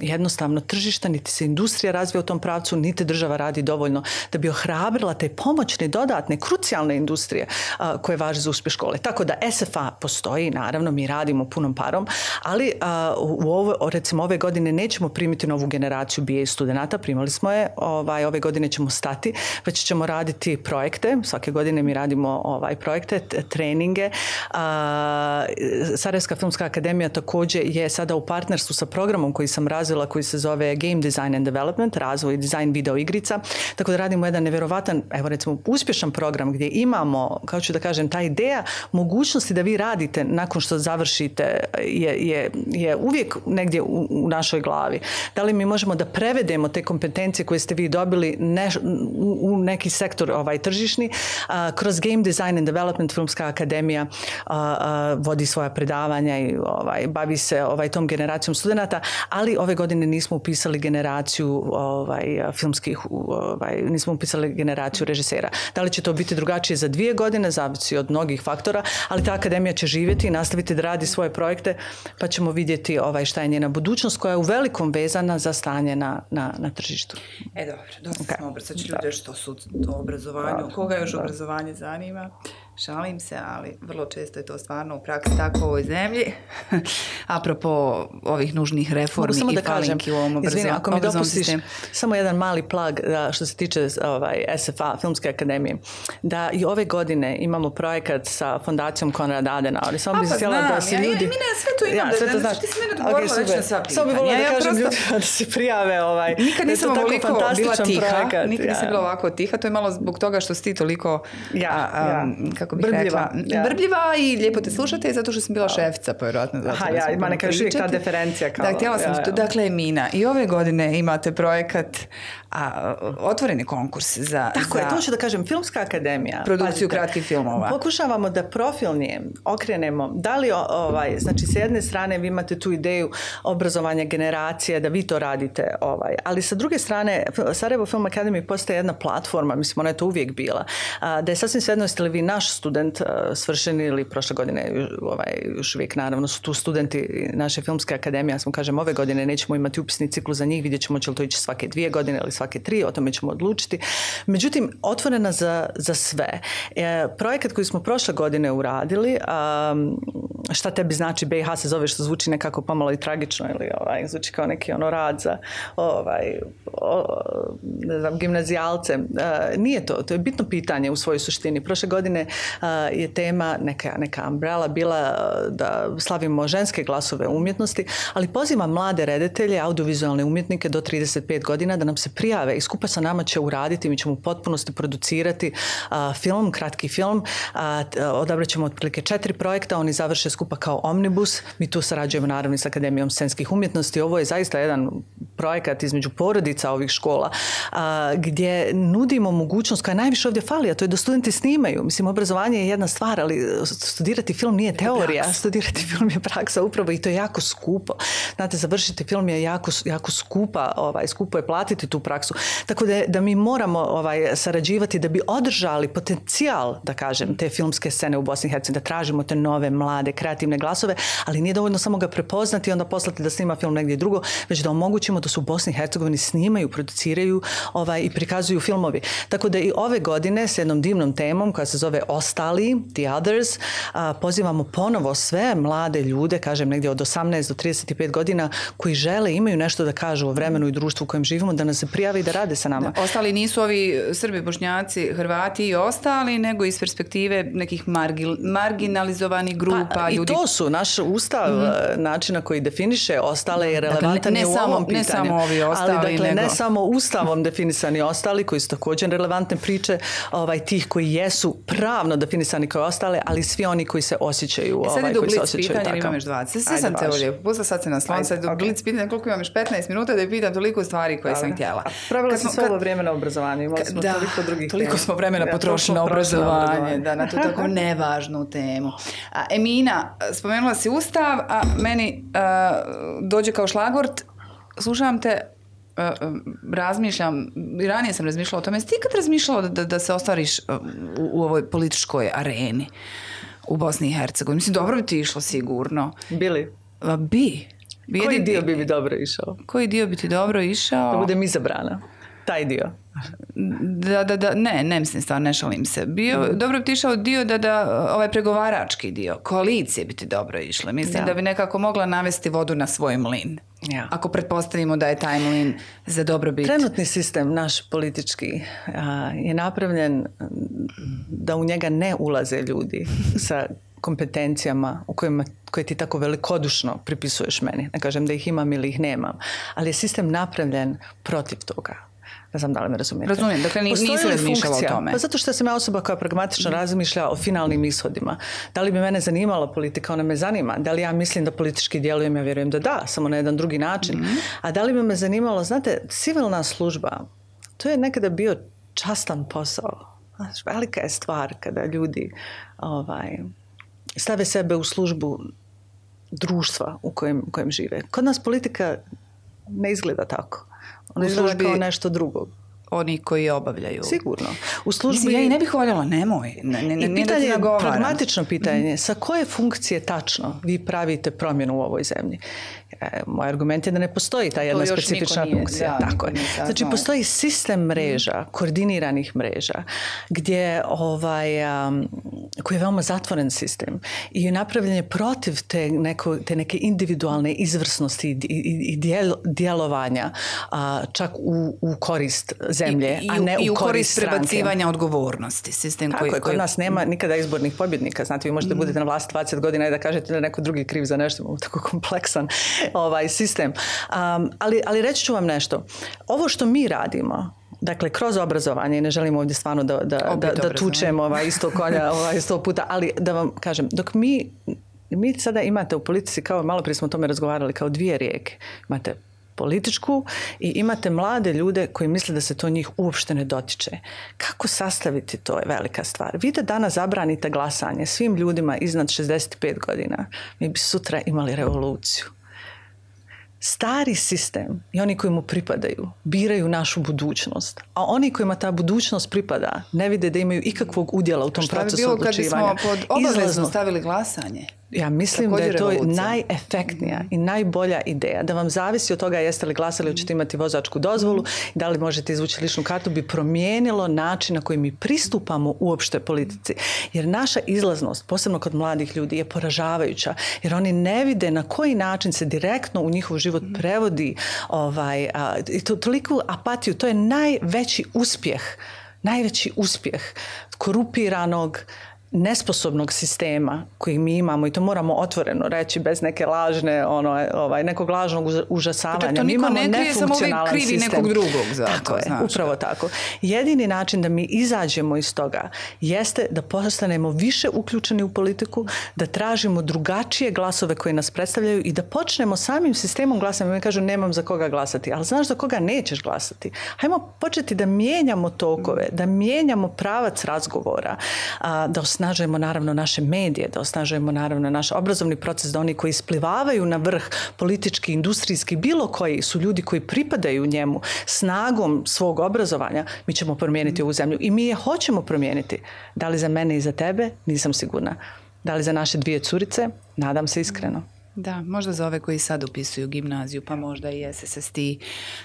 jednostavno tržišta, niti se industrija razvija u tom pravcu, niti država radi dovoljno da bi ohrabrila te pomoćne, dodatne, krucijalne industrije koje važe za uspjeh škole. Tako da SFA postoji, naravno, mi radimo punom parom, ali recimo ove godine nećemo primiti novu generaciju BA studenata, primali smo je, ove godine ćemo stati, već ćemo raditi projekte, svake godine mi radimo projekte, treninge. Sarajevska filmska akademija također je sada u partnerstvu sa programom koji sam razvila, koji se zove Game Design and Development, razvoj i dizajn video igrica. Tako da radimo jedan nevjerovatan, evo recimo uspješan program gdje imamo, kao ću da kažem, ta ideja mogućnosti da vi radite nakon što završite je uvijek negdje u našoj glavi. Da li mi možemo da prevedemo te kompetencije koje ste vi dobili u neki sektor tržišni. Kroz Game Design and Development Filmska akademija vodi svoja predavanja i bavi se tom generacijom studenata, ali ove godine nismo upisali generaciju filmskih, nismo upisali generaciju režisera. Da li će to biti drugačije za 2 godine, zavisi od mnogih faktora, ali ta akademija će živjeti i nastaviti da radi svoje projekte, pa ćemo vidjeti šta je njena budućnost, koja je u velikom vezana za stanje na tržištu. Dobro, dosta smo obracaći ljude što su to obrazovanju. Koga još obrazovanje zanima? Šalim se, ali vrlo često je to stvarno u praksi tako u ovoj zemlji. Apropo ovih nužnih reformi i falinki u ovom obrazovanju. Ako mi dopustiš samo jedan mali plug što se tiče SFA, Filmske akademije, da i ove godine imamo projekat sa fondacijom Konrad Adenauer. Samo bih htjela da se ljudi... Mi ne sve to imam, da ti si mene odgovorila već na sva pitanja. Samo bih volila da kažem ljudima da se prijave. Nikad nisam ovoliko bila tiha, nikad nisam bila ovako tiha, to je malo zbog toga što si ti toliko kako bih rekla, brbljiva i lijepo te slušate zato što sam bila šefica, pa vjerojatno zato da smo ima neka još uvijek ta diferencija. Kao, da, htjela sam, dakle, Emina, i ove godine imate projekat, otvoreni konkurs za... Tako je, to ću da kažem, Filmska akademija. Produkciju kratkih filmova. Pokušavamo da profilnije okrenemo, da li, znači, s jedne strane vi imate tu ideju obrazovanja generacije, da vi to radite, ali sa druge strane, Sarajevo Film Academy postaje jedna platforma, mislim, ona je to uvijek bila, da je sasvim svejedno jeste li vi naš student svršeni ili prošle godine, još uvijek naravno su tu studenti naše Filmske akademije, ja sam kažem, ove godine nećemo imati upisni ciklus za njih, vidjet ćemo će li to ići svake 2 godine ili svake 3, o tome ćemo odlučiti. Međutim, otvorena za sve. Projekat koji smo prošle godine uradili, šta tebi znači BiH se zove, što zvuči nekako pomalo i tragično ili zvuči kao neki rad za gimnazijalce. Nije to je bitno pitanje u svojoj suštini. Prošle godine je tema neka umbrella bila da slavimo ženske glasove umjetnosti, ali pozivam mlade reditelje, audiovizualne umjetnike do 35 godina da nam se prijave i skupa sa nama će uraditi, mi ćemo u potpunosti producirati film, kratki film, odabrat ćemo otprilike 4 projekta, oni završe skupa kao omnibus, mi tu sarađujemo naravno s Akademijom scenskih umjetnosti, ovo je zaista jedan projekat između porodica ovih škola gdje nudimo mogućnost koja najviše ovdje fali, a to je da studenti snimaju. Mislim, obrazovanje je jedna stvar, ali studirati film nije teorija, studirati film je praksa upravo i to je jako skupo. Znate, završiti film je jako skupo je platiti tu praksu. Tako da mi moramo sarađivati da bi održali potencijal, da kažem, te filmske scene u Bosni i Hercegovini, da tražimo te nove, mlade, kreativne glasove, ali nije dovoljno samo ga prepoznati i onda poslati da snima film negdje drugo, već da omogućimo da su u Bosni i Hercegovini snimaju, produciraju i prikazuju filmovi. Tako da i ove godine s jednom divnom temom koja se zove Ostali, The Others, pozivamo ponovo sve mlade ljude, kažem negdje od 18 do 35 godina, koji žele, imaju nešto da kažu o vremenu i društvu u kojem živimo, da nas se prijave i da rade sa nama. Ostali nisu ovi Srbi, Bošnjaci, Hrvati i ostali, nego iz perspektive nekih marginalizovanih grupa. I to su naš ustav, način na koji definiše ostale je relevantan i u ovom pitanju. Ne samo ovi ostali, ali dakle, ne samo ustavom definisani ostali, koji su također relevantne priče, tih koji jesu pravno definisani kao ostale, ali svi oni koji se osjećaju koji se osjećaju tako. Imam još 20. Sve sam te ovdje pusta, sad se naslon, sad do blic pitanja koliko imam još 15 minuta da je pitam toliko stvari koje sam htjela. Pravila si svo ovo vrijeme na obrazovanju, imali smo toliko drugih tema. Toliko smo vremena potrošili na obrazovanje, na tu tako nevažnu temu. Emina, spomenula si ustav, a meni dođe kao šlagvort, slušam te, razmišljam, i ranije sam razmišljala o tome, jesi ti ikad razmišljala da se ostvariš u ovoj političkoj areni u Bosni i Hercegovini? Mislim, dobro bi ti išlo sigurno. Bili? Bi. Koji dio bi mi dobro išao? Koji dio bi ti dobro išao? Da budem izabrana. Taj dio. Ne mislim stvarno, ne šalim se. Dobro bi ti išao dio ovaj pregovarački dio, koalicije bi ti dobro išle. Mislim da bi nekako mogla navesti vodu na svoj mlin. Ja. Ako pretpostavimo da je taj mlin za dobrobit. Trenutni sistem naš politički je napravljen da u njega ne ulaze ljudi sa kompetencijama koje ti tako velikodušno pripisuješ meni. Ne kažem da ih imam ili ih nemam, ali je sistem napravljen protiv toga. Ne znam da li me razumijete. Razumijem, dakle nisi razmišljala o tome. Pa zato što sam ja osoba koja pragmatično razmišlja o finalnim ishodima. Da li bi mene zanimala politika? Ona me zanima. Da li ja mislim da politički djelujem? Ja vjerujem da, samo na jedan drugi način. A da li bi me zanimalo, znate, civilna služba, to je nekada bio častan posao. Velika je stvar kada ljudi stave sebe u službu društva u kojem žive. Kod nas politika ne izgleda tako. Ona izgleda kao nešto drugo. Oni koji je obavljaju. Sigurno. U službi... Ja i ne bih voljela, nemoj. I pitanje, pragmatično pitanje, sa koje funkcije tačno vi pravite promjenu u ovoj zemlji? Moj argument je da ne postoji ta jedna specifična funkcija. Tako je. Znači, postoji sistem mreža, koordiniranih mreža, gdje koji je veoma zatvoren sistem i napravljen je protiv te neke individualne izvrsnosti i djelovanja čak u korist zemlje, a ne u korist stranke. Prebacivanja odgovornosti. Sistem tako je, kod nas nema nikada izbornih pobjednika. Znate, vi možete budete na vlasti 20 godina i da kažete da neko drugi kriv za nešto, imamo tako kompleksan sistem. Ali reći ću vam nešto. Ovo što mi radimo, Dakle, kroz obrazovanje, ne želim ovdje stvarno da tučem isto konja sto puta, ali da vam kažem, dok mi sada imate u politici, kao malo prije smo o tome razgovarali, kao dvije rijeke. Imate političku i imate mlade ljude koji misle da se to njih uopšte ne dotiče. Kako sastaviti, to je velika stvar. Vi da danas zabranite glasanje svim ljudima iznad 65 godina, mi bi sutra imali revoluciju. Stari sistem i oni koji mu pripadaju biraju našu budućnost, a oni kojima ta budućnost pripada ne vide da imaju ikakvog udjela u tom procesu odlučivanja. Šta bi bilo kad bismo pod obavezno stavili glasanje? Ja mislim da je to najefektnija i najbolja ideja. Da vam zavisi od toga jeste li glasali, hoćete imati vozačku dozvolu, da li možete izvući ličnu kartu, bi promijenilo način na koji mi pristupamo uopšte politici. Jer naša izlaznost, posebno kod mladih ljudi, je poražavajuća. Jer oni ne vide na koji način se direktno u njihov život prevodi toliku apatiju. To je najveći uspjeh korupiranog, nesposobnog sistema koji mi imamo, i to moramo otvoreno reći bez neke lažne, nekog lažnog užasavanja. Dakle, to niko ne krije, samo uvijek krivi nekog drugog za tako to. Je, upravo tako. Jedini način da mi izađemo iz toga jeste da postanemo više uključeni u politiku, da tražimo drugačije glasove koji nas predstavljaju i da počnemo samim sistemom glasanja. Mi kažu nemam za koga glasati, ali znaš za koga nećeš glasati. Hajmo početi da mijenjamo tokove, da mijenjamo pravac razgovora, da osnažujemo naravno naše medije, da osnažujemo naravno naš obrazovni proces, da oni koji isplivavaju na vrh politički, industrijski, bilo koji su ljudi koji pripadaju njemu snagom svog obrazovanja, mi ćemo promijeniti ovu zemlju i mi je hoćemo promijeniti. Da li za mene i za tebe? Nisam sigurna. Da li za naše 2 curice? Nadam se iskreno. Da, možda za ove koji sad upisuju gimnaziju, pa možda i SSST.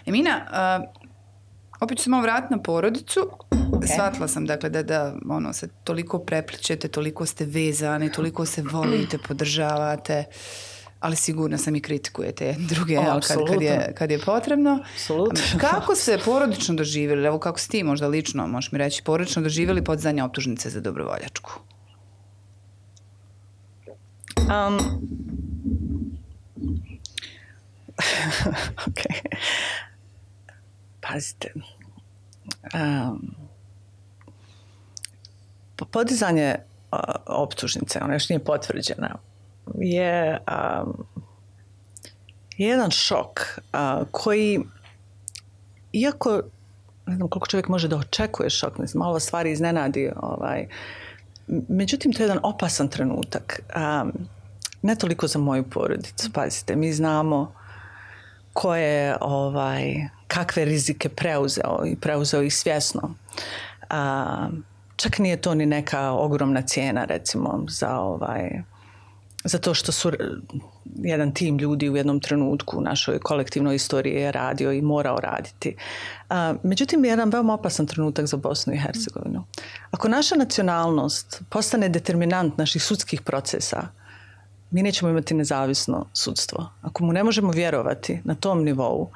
Emina, opet ću se malo vratiti na porodicu. Okay. Shvatila sam dakle da se toliko prepličete, toliko ste vezani, toliko se volite, podržavate, ali sigurno sam i kritikujete jedni druge kad je potrebno. Absolutno. Kako ste porodično doživjeli, evo kako si ti možda lično, možeš mi reći, porodično doživjeli podizanje optužnice za dobrovoljačku? Ok. Pazite. Podizanje optužnice, ona još nije potvrđena, je jedan šok koji, iako ne znam koliko čovjek može da očekuje šok, ne znam, malo stvari iznenadi, međutim to je jedan opasan trenutak, ne toliko za moju porodicu. Pazite, mi znamo ko je kakve rizike preuzeo ih svjesno. Čak nije to ni neka ogromna cijena, recimo, za to što su jedan tim ljudi u jednom trenutku u našoj kolektivnoj istoriji je radio i morao raditi. Međutim, je jedan veoma opasan trenutak za Bosnu i Hercegovinu. Ako naša nacionalnost postane determinant naših sudskih procesa, mi nećemo imati nezavisno sudstvo. Ako mu ne možemo vjerovati na tom nivou,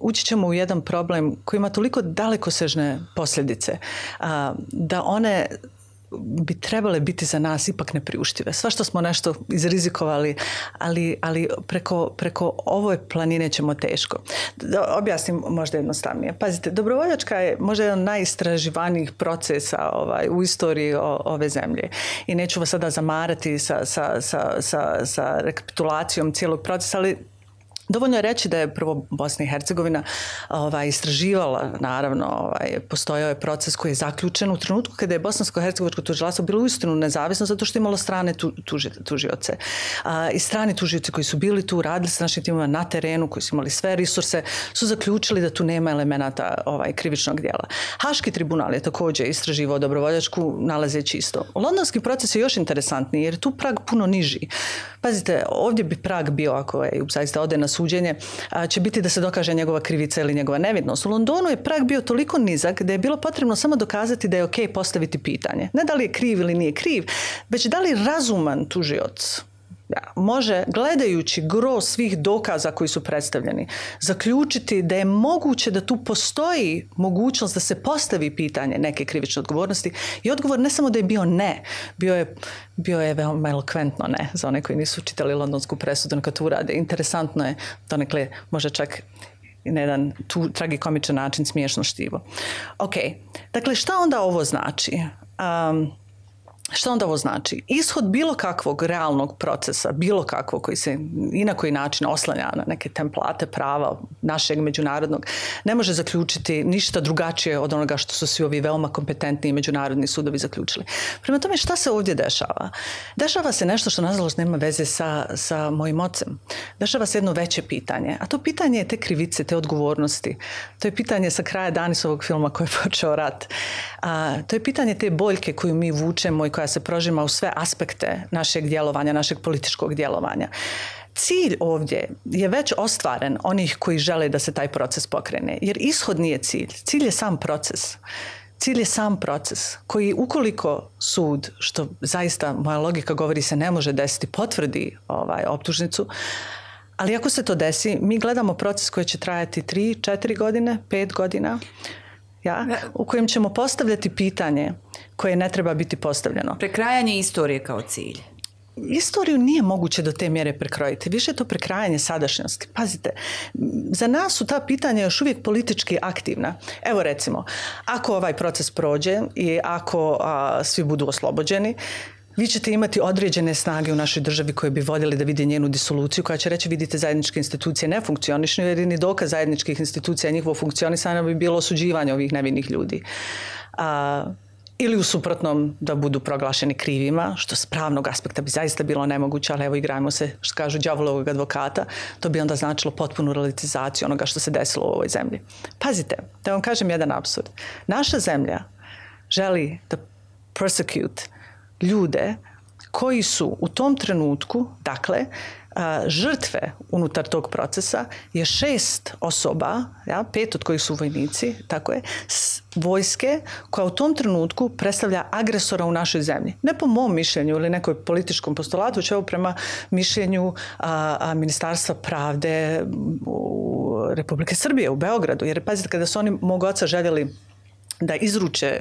ući ćemo u jedan problem koji ima toliko dalekosežne posljedice da one bi trebale biti za nas ipak nepriuštive. Sva što smo nešto izrizikovali, ali preko ove planine ćemo teško. Da objasnim možda jednostavnije. Pazite, dobrovoljačka je možda jedan od najistraživanijih procesa u istoriji ove zemlje. I neću vas sada zamarati sa rekapitulacijom cijelog procesa, ali dovoljno je reći da je prvo Bosna i Hercegovina istraživala, naravno, postojao je proces koji je zaključen u trenutku kada je bosansko-hercegovačko tužilaštvo bilo uistinu nezavisno zato što je imalo strane tužioce. I strani tužioci koji su bili tu, radili sa našim timima na terenu, koji su imali sve resurse, su zaključili da tu nema elemenata krivičnog djela. Haški tribunal je također istraživao dobrovoljačku nalazeći isto. Londonski proces je još interesantniji jer je tu prag puno niži. Pazite, ovdje bi prag bio, ako zaista ode na suđenje, će biti da se dokaže njegova krivica ili njegova nevinost. U Londonu je prag bio toliko nizak da je bilo potrebno samo dokazati da je ok postaviti pitanje. Ne da li je kriv ili nije kriv, već da li razuman tužioc može, gledajući gro svih dokaza koji su predstavljeni, zaključiti da je moguće da tu postoji mogućnost da se postavi pitanje neke krivične odgovornosti. I odgovor ne samo da je bio ne, bio je veoma elokventno ne, za one koji nisu čitali londonsku presudu, neka to urade. Interesantno je, donekle možda čak na jedan tragikomičan način smiješno štivo. Ok, dakle šta onda ovo znači? Što onda ovo znači? Ishod bilo kakvog realnog procesa, bilo kakvog koji se i na koji način oslanja na neke template prava našeg međunarodnog, ne može zaključiti ništa drugačije od onoga što su svi ovi veoma kompetentni međunarodni sudovi zaključili. Prema tome, šta se ovdje dešava? Dešava se nešto što nažalost nema veze sa mojim ocem. Dešava se jedno veće pitanje, a to pitanje je te krivice, te odgovornosti. To je pitanje sa kraja Danisovog filma koji je počeo rat. To je pitanje te boljke koju mi vučemo i koja se prožima u sve aspekte našeg djelovanja, našeg političkog djelovanja. Cilj ovdje je već ostvaren onih koji žele da se taj proces pokrene, jer ishod nije cilj. Cilj je sam proces. Cilj je sam proces koji ukoliko sud, što zaista moja logika govori se ne može desiti, potvrdi optužnicu, ali ako se to desi, mi gledamo proces koji će trajati 3, 4 godine, 5 godina, u kojem ćemo postavljati pitanje koje ne treba biti postavljeno. Prekrajanje istorije kao cilj. Istoriju nije moguće do te mjere prekrojiti. Više je to prekrajanje sadašnjosti. Pazite, za nas su ta pitanja još uvijek politički aktivna. Evo recimo, ako ovaj proces prođe i ako svi budu oslobođeni, vi ćete imati određene snage u našoj državi koje bi voljeli da vide njenu disoluciju, koja će reći vidite zajedničke institucije ne funkcionišu, jer ni dokaz zajedničkih institucija njihovo funkcionisanje bi bilo osuđivanje ovih nevinih ljudi. Ili u suprotnom da budu proglašeni krivima, što s pravnog aspekta bi zaista bilo nemoguće, ali evo igrajmo se, što kažu, đavolovog advokata, to bi onda značilo potpunu relativizaciju onoga što se desilo u ovoj zemlji. Pazite, da vam kažem jedan apsurd. Naša zemlja želi da persecute ljude koji su u tom trenutku, dakle, žrtve unutar tog procesa je 6 osoba, 5 od kojih su vojnici, tako je, vojske koja u tom trenutku predstavlja agresora u našoj zemlji. Ne po mom mišljenju ili nekoj političkom postulatu, već evo prema mišljenju Ministarstva pravde Republike Srbije u Beogradu. Jer pazite, kada su oni mog oca željeli da izruče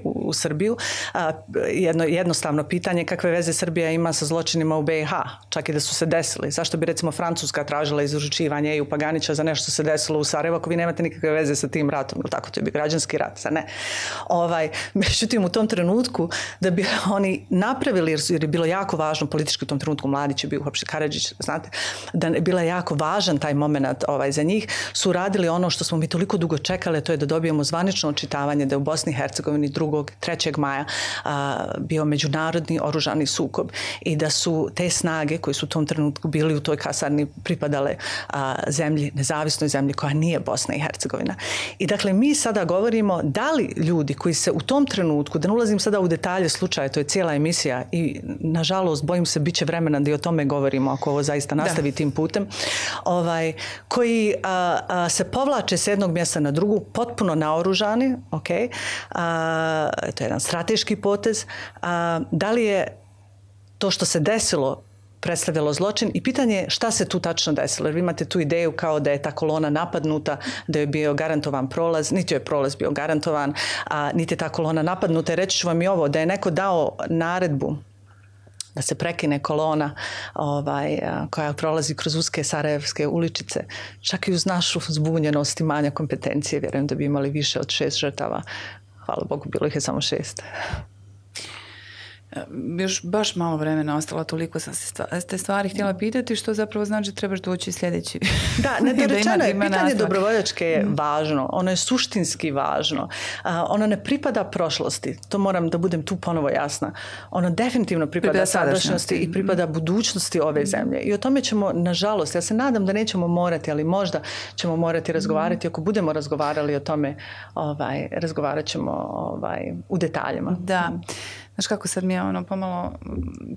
u Srbiju, jednostavno pitanje kakve veze Srbija ima sa zločinima u BiH, čak i da su se desili. Zašto bi recimo Francuska tražila izručivanje Eju Paganića za nešto se desilo u Sarajevu ako vi nemate nikakve veze sa tim ratom, ili tako, to je bi građanski rat, sa ne. Međutim, u tom trenutku da bi oni napravili, jer je bilo jako važno politički u tom trenutku, Mladić je bio uopšte Karadžić, znate, da je bila jako važan taj moment za njih, su radili ono što smo mi toliko dugo čekali, to je da dobijemo zvanično očitavanje da je u Bosni i Hercegovini 3. maja bio međunarodni oružani sukob i da su te snage koji su u tom trenutku bili u toj kasarni pripadale zemlji, nezavisnoj zemlji koja nije Bosna i Hercegovina. I dakle, mi sada govorimo da li ljudi koji se u tom trenutku, da ne ulazim sada u detalje slučaja, to je cijela emisija i nažalost bojim se bit će vremena da i o tome govorimo ako ovo zaista nastavi tim putem, koji se povlače s jednog mjesta na drugu, potpuno naoružani, to je jedan strateški potez. Da li je to što se desilo predstavljalo zločin i pitanje je šta se tu tačno desilo. Jer vi imate tu ideju kao da je ta kolona napadnuta, da je bio garantovan prolaz, niti je prolaz bio garantovan, niti je ta kolona napadnuta. I reći ću vam i ovo, da je neko dao naredbu da se prekine kolona koja prolazi kroz uske sarajevske uličice. Čak i uz našu zbunjenost i manja kompetencije, vjerujem da bi imali više od 6 žrtava. Hvala Bogu, bilo ih je samo 6. Još baš malo vremena ostalo, toliko sam se te stvari htjela pitati, što zapravo znači da trebaš doći sljedeći. Da, nedorečeno je, pitanje dobrovoljačke je važno, ono je suštinski važno. Ono ne pripada prošlosti, to moram da budem tu ponovo jasna. Ono definitivno pripada sadašnjosti i pripada budućnosti ove zemlje. I o tome ćemo, nažalost, ja se nadam da nećemo morati, ali možda ćemo morati razgovarati. Ako budemo razgovarali o tome, razgovarat ćemo u detaljima. Da. Znaš kako sad mi je pomalo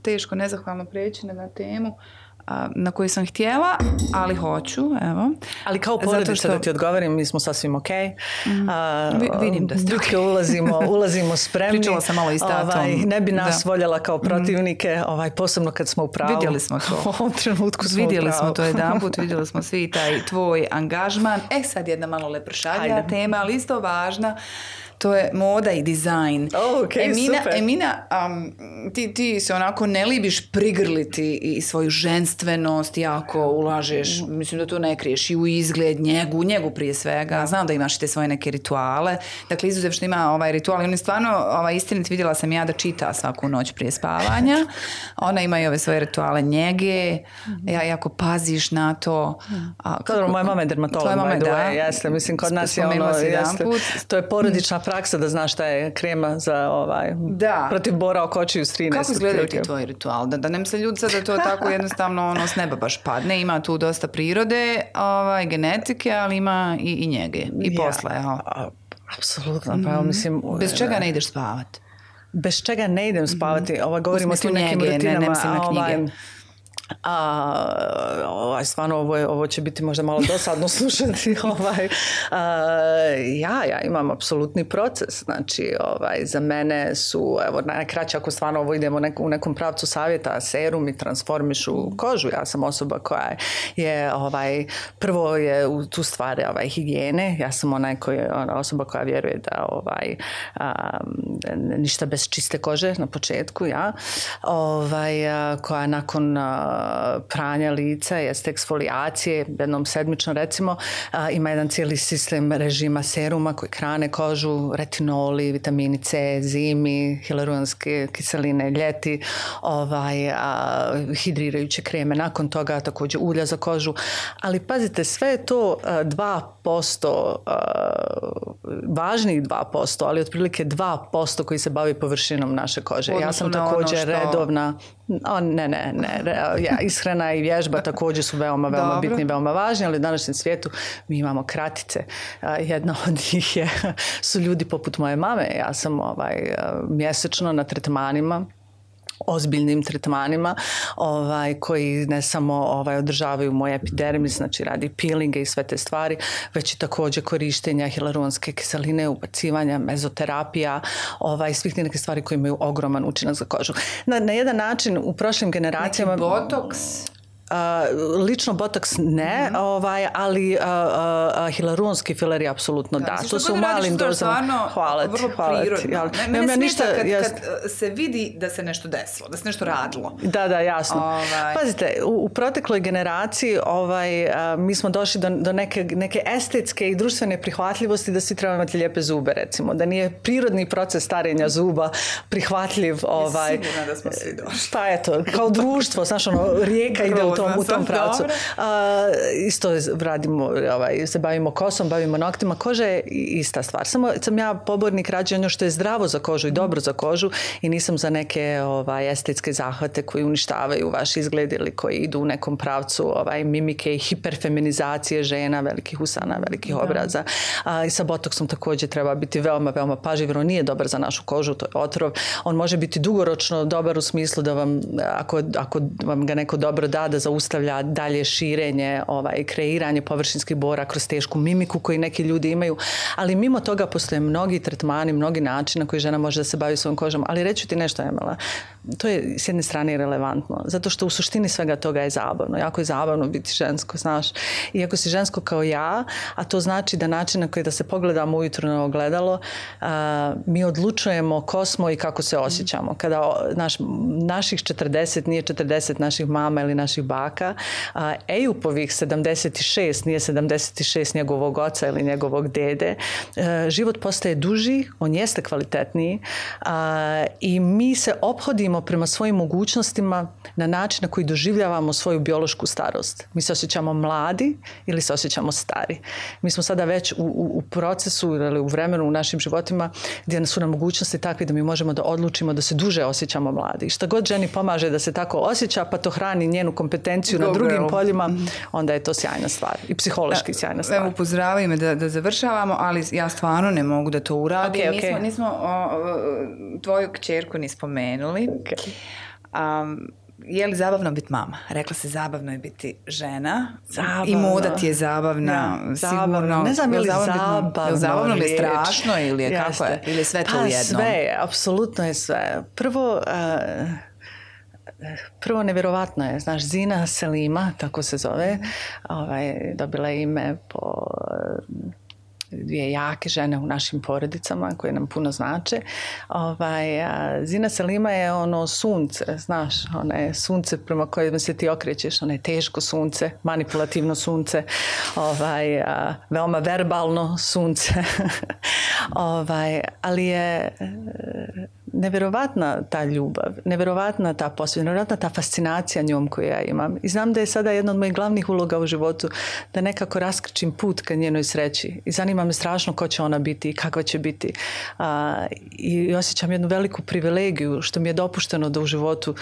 teško, nezahvalno preći na temu na koju sam htjela, ali hoću, evo. Ali kao porodica da ti odgovorim, mi smo sasvim ok. Vidim da ste ok. Ulazimo spremni. Pričala sam malo i s tatom. Ne bi nas voljela kao protivnike, posebno kad smo u pravu. Vidjeli smo to. U ovom trenutku smo vidjeli smo to jedanput, vidjeli smo svi taj tvoj angažman. Sad jedna malo lepršavija tema, ali isto važna. To je moda i dizajn. Super. Emina, ti se onako ne libiš prigrliti i svoju ženstvenost, jako ulažeš, mislim da to ne kriješ, i u izgled, njegu prije svega. Znam da imaš i te svoje neke rituale. Dakle, izuzev što ima ovaj ritual, i on je stvarno istinit, vidjela sam ja da čita svaku noć prije spavanja. Ona ima i ove svoje rituale njege, jako paziš na to. Moja mama je dermatolog, by the way, jeste, mislim, kod nas je ono, to je porodična praksa da znaš šta je krema za protiv bora oko očiju s 13. Kako izgledaju ti tvoji ritual? Da ne misle ljudi sad da to tako jednostavno s neba baš padne, ima tu dosta prirode, genetike, ali ima i njege, i posla. Apsolutno, pa mislim... Bez čega ne ideš spavati? Bez čega ne idem spavati, govorimo o tim nekim rutinama. Ne mislim na knjige. Stvarno ovo će biti možda malo dosadno slušati. Ja imam apsolutni proces. Znači, za mene su, najkraće ako stvarno ovo idemo u nekom pravcu savjeta, serum i transformišu kožu. Ja sam osoba koja je, prvo je u tu stvari higijene. Ja sam osoba koja vjeruje da ništa bez čiste kože na početku, koja nakon pranja lica, jeste eksfolijacije, jednom sedmično recimo, ima jedan cijeli sistem režima seruma koji hrane kožu, retinoli, vitamini C, zimi, hialuronske kiseline ljeti, hidrirajuće kreme, nakon toga također ulja za kožu, ali pazite, sve je to 2%, važnijih 2%, ali otprilike 2% koji se bavi površinom naše kože. Ja sam također redovna, ishrana i vježba također su veoma bitni, veoma važni, ali u današnjem svijetu mi imamo kratice. Jedna od njih su ljudi poput moje mame. Ja sam mjesečno na tretmanima, ozbiljnim tretmanima koji ne samo održavaju moj epidermis, znači radi peelinge i sve te stvari, već i također korištenja hialuronske kiseline, ubacivanja, mezoterapija, svih neke stvari koje imaju ogroman učinak za kožu. Na jedan način u prošlim generacijama... Neki botoks? Lično botoks ne, ali hialuronski fileri apsolutno da. To su u malim dozama. Hvala ti. Mene smeta kad se vidi da se nešto desilo, da se nešto radilo. Da, jasno. Pazite, u protekloj generaciji mi smo došli do neke estetske i društvene prihvatljivosti da svi trebamo imati lijepe zube, recimo. Da nije prirodni proces starenja zuba prihvatljiv. Sigurno da smo svi došli. Pa eto, kao društvo, znaš, rijeka ide u tom pravcu. Isto radimo, se bavimo kosom, bavimo noktima. Koža je ista stvar. Samo sam ja pobornik rađe ono što je zdravo za kožu i dobro za kožu i nisam za neke estetske zahvate koji uništavaju vaš izgled ili koji idu u nekom pravcu mimike i hiperfeminizacije žena, velikih usana, velikih obraza. I sa botoksom također treba biti veoma pažljiv, jer on nije dobar za našu kožu, to je otrov. On može biti dugoročno dobar u smislu da vam, ako vam ga neko dobro da zaustavlja dalje širenje, kreiranje površinskih bora kroz tešku mimiku koju neki ljudi imaju, ali mimo toga postoje mnogi tretmani, mnogi načini na koji žena može da se bavi svojom kožom. Ali reći ti nešto, Emela, to je s jedne strane relevantno, zato što u suštini svega toga je zabavno. Jako je zabavno biti žensko, znaš. I ako si žensko kao ja, a to znači da način na koji da se pogledamo ujutro na ogledalo, mi odlučujemo ko smo i kako se osjećamo. Kada naših 40 nije 40 naših mama ili naših baka, Ejupovih 76 nije 76 njegovog oca ili njegovog dede. Život postaje duži, on jeste kvalitetniji i mi se ophodimo prema svojim mogućnostima na način na koji doživljavamo svoju biološku starost. Mi se osjećamo mladi ili se osjećamo stari. Mi smo sada već u procesu ili u vremenu u našim životima gdje su nam mogućnosti takve da mi možemo da odlučimo da se duže osjećamo mladi. I šta god ženi pomaže da se tako osjeća, pa to hrani njenu kompetenciju na drugim poljima, onda je to sjajna stvar. I psihološki sjajna stvar. Evo, upozoravaju me da završavamo, ali ja stvarno ne mogu da to uradim. Okay. Nismo tvoju kćerku ni spomenuli. Je li zabavno biti mama? Rekla se zabavno je biti žena. Zabavno. I moda ti je zabavna. Sigurno. Ne znam je li zabavno ili je strašno ili je kako je? Ili je sve to u jednom? Sve, apsolutno je sve. Prvo nevjerovatno je, znaš, Zina Selima, tako se zove, dobila je ime po dvije jake žene u našim porodicama koje nam puno znače. Zina Selima je ono sunce, znaš, ona je sunce prema kojem se ti okrećeš, ona je teško sunce, manipulativno sunce, veoma verbalno sunce. Ali je nevjerovatna ta ljubav, nevjerovatna ta posvijest, nevjerovatna ta fascinacija njom koju ja imam. I znam da je sada jedna od mojih glavnih uloga u životu da nekako raskrčim put ka njenoj sreći. I zanima me strašno ko će ona biti i kakva će biti. I osjećam jednu veliku privilegiju što mi je dopušteno da u životu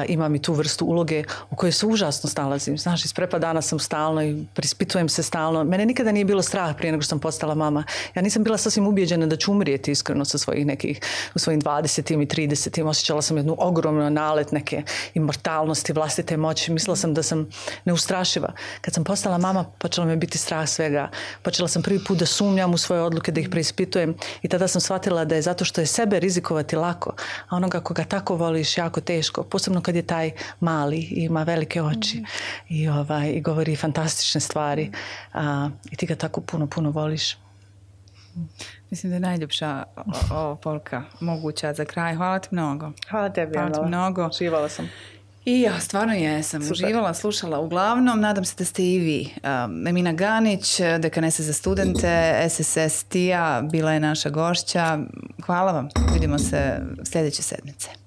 imam i tu vrstu uloge u kojoj se užasno snalazim. Znaš, iz prepadana sam stalno i prispitujem se stalno. Mene nikada nije bilo strah prije nego što sam postala mama. Ja nisam bila sasvim ubijeđena da ću umrijeti iskreno sa svojih nekih, u svojim 20 i 30. Osjećala sam jednu ogromnu nalet neke imortalnosti, vlastite moći. Mislila sam da sam neustrašiva. Kad sam postala mama, počela me biti strah svega. Počela sam prvi put da sumnjam u svoje odluke, da ih preispitujem i tada sam shvatila da je zato što je sebe rizikovati lako, a onoga koga tako voliš jako teško, posebno kad je taj mali i ima velike oči i govori fantastične stvari i ti ga tako puno voliš. Mislim da je najljepša poruka moguća za kraj. Hvala ti mnogo. Hvala tebi, mnogo. Živala sam. I ja stvarno jesam. Super. Uživala, slušala. Uglavnom, nadam se da ste i vi. Emina Ganić, dekanesa za studente, SSS TIA, bila je naša gošća. Hvala vam. Vidimo se sljedeće sedmice.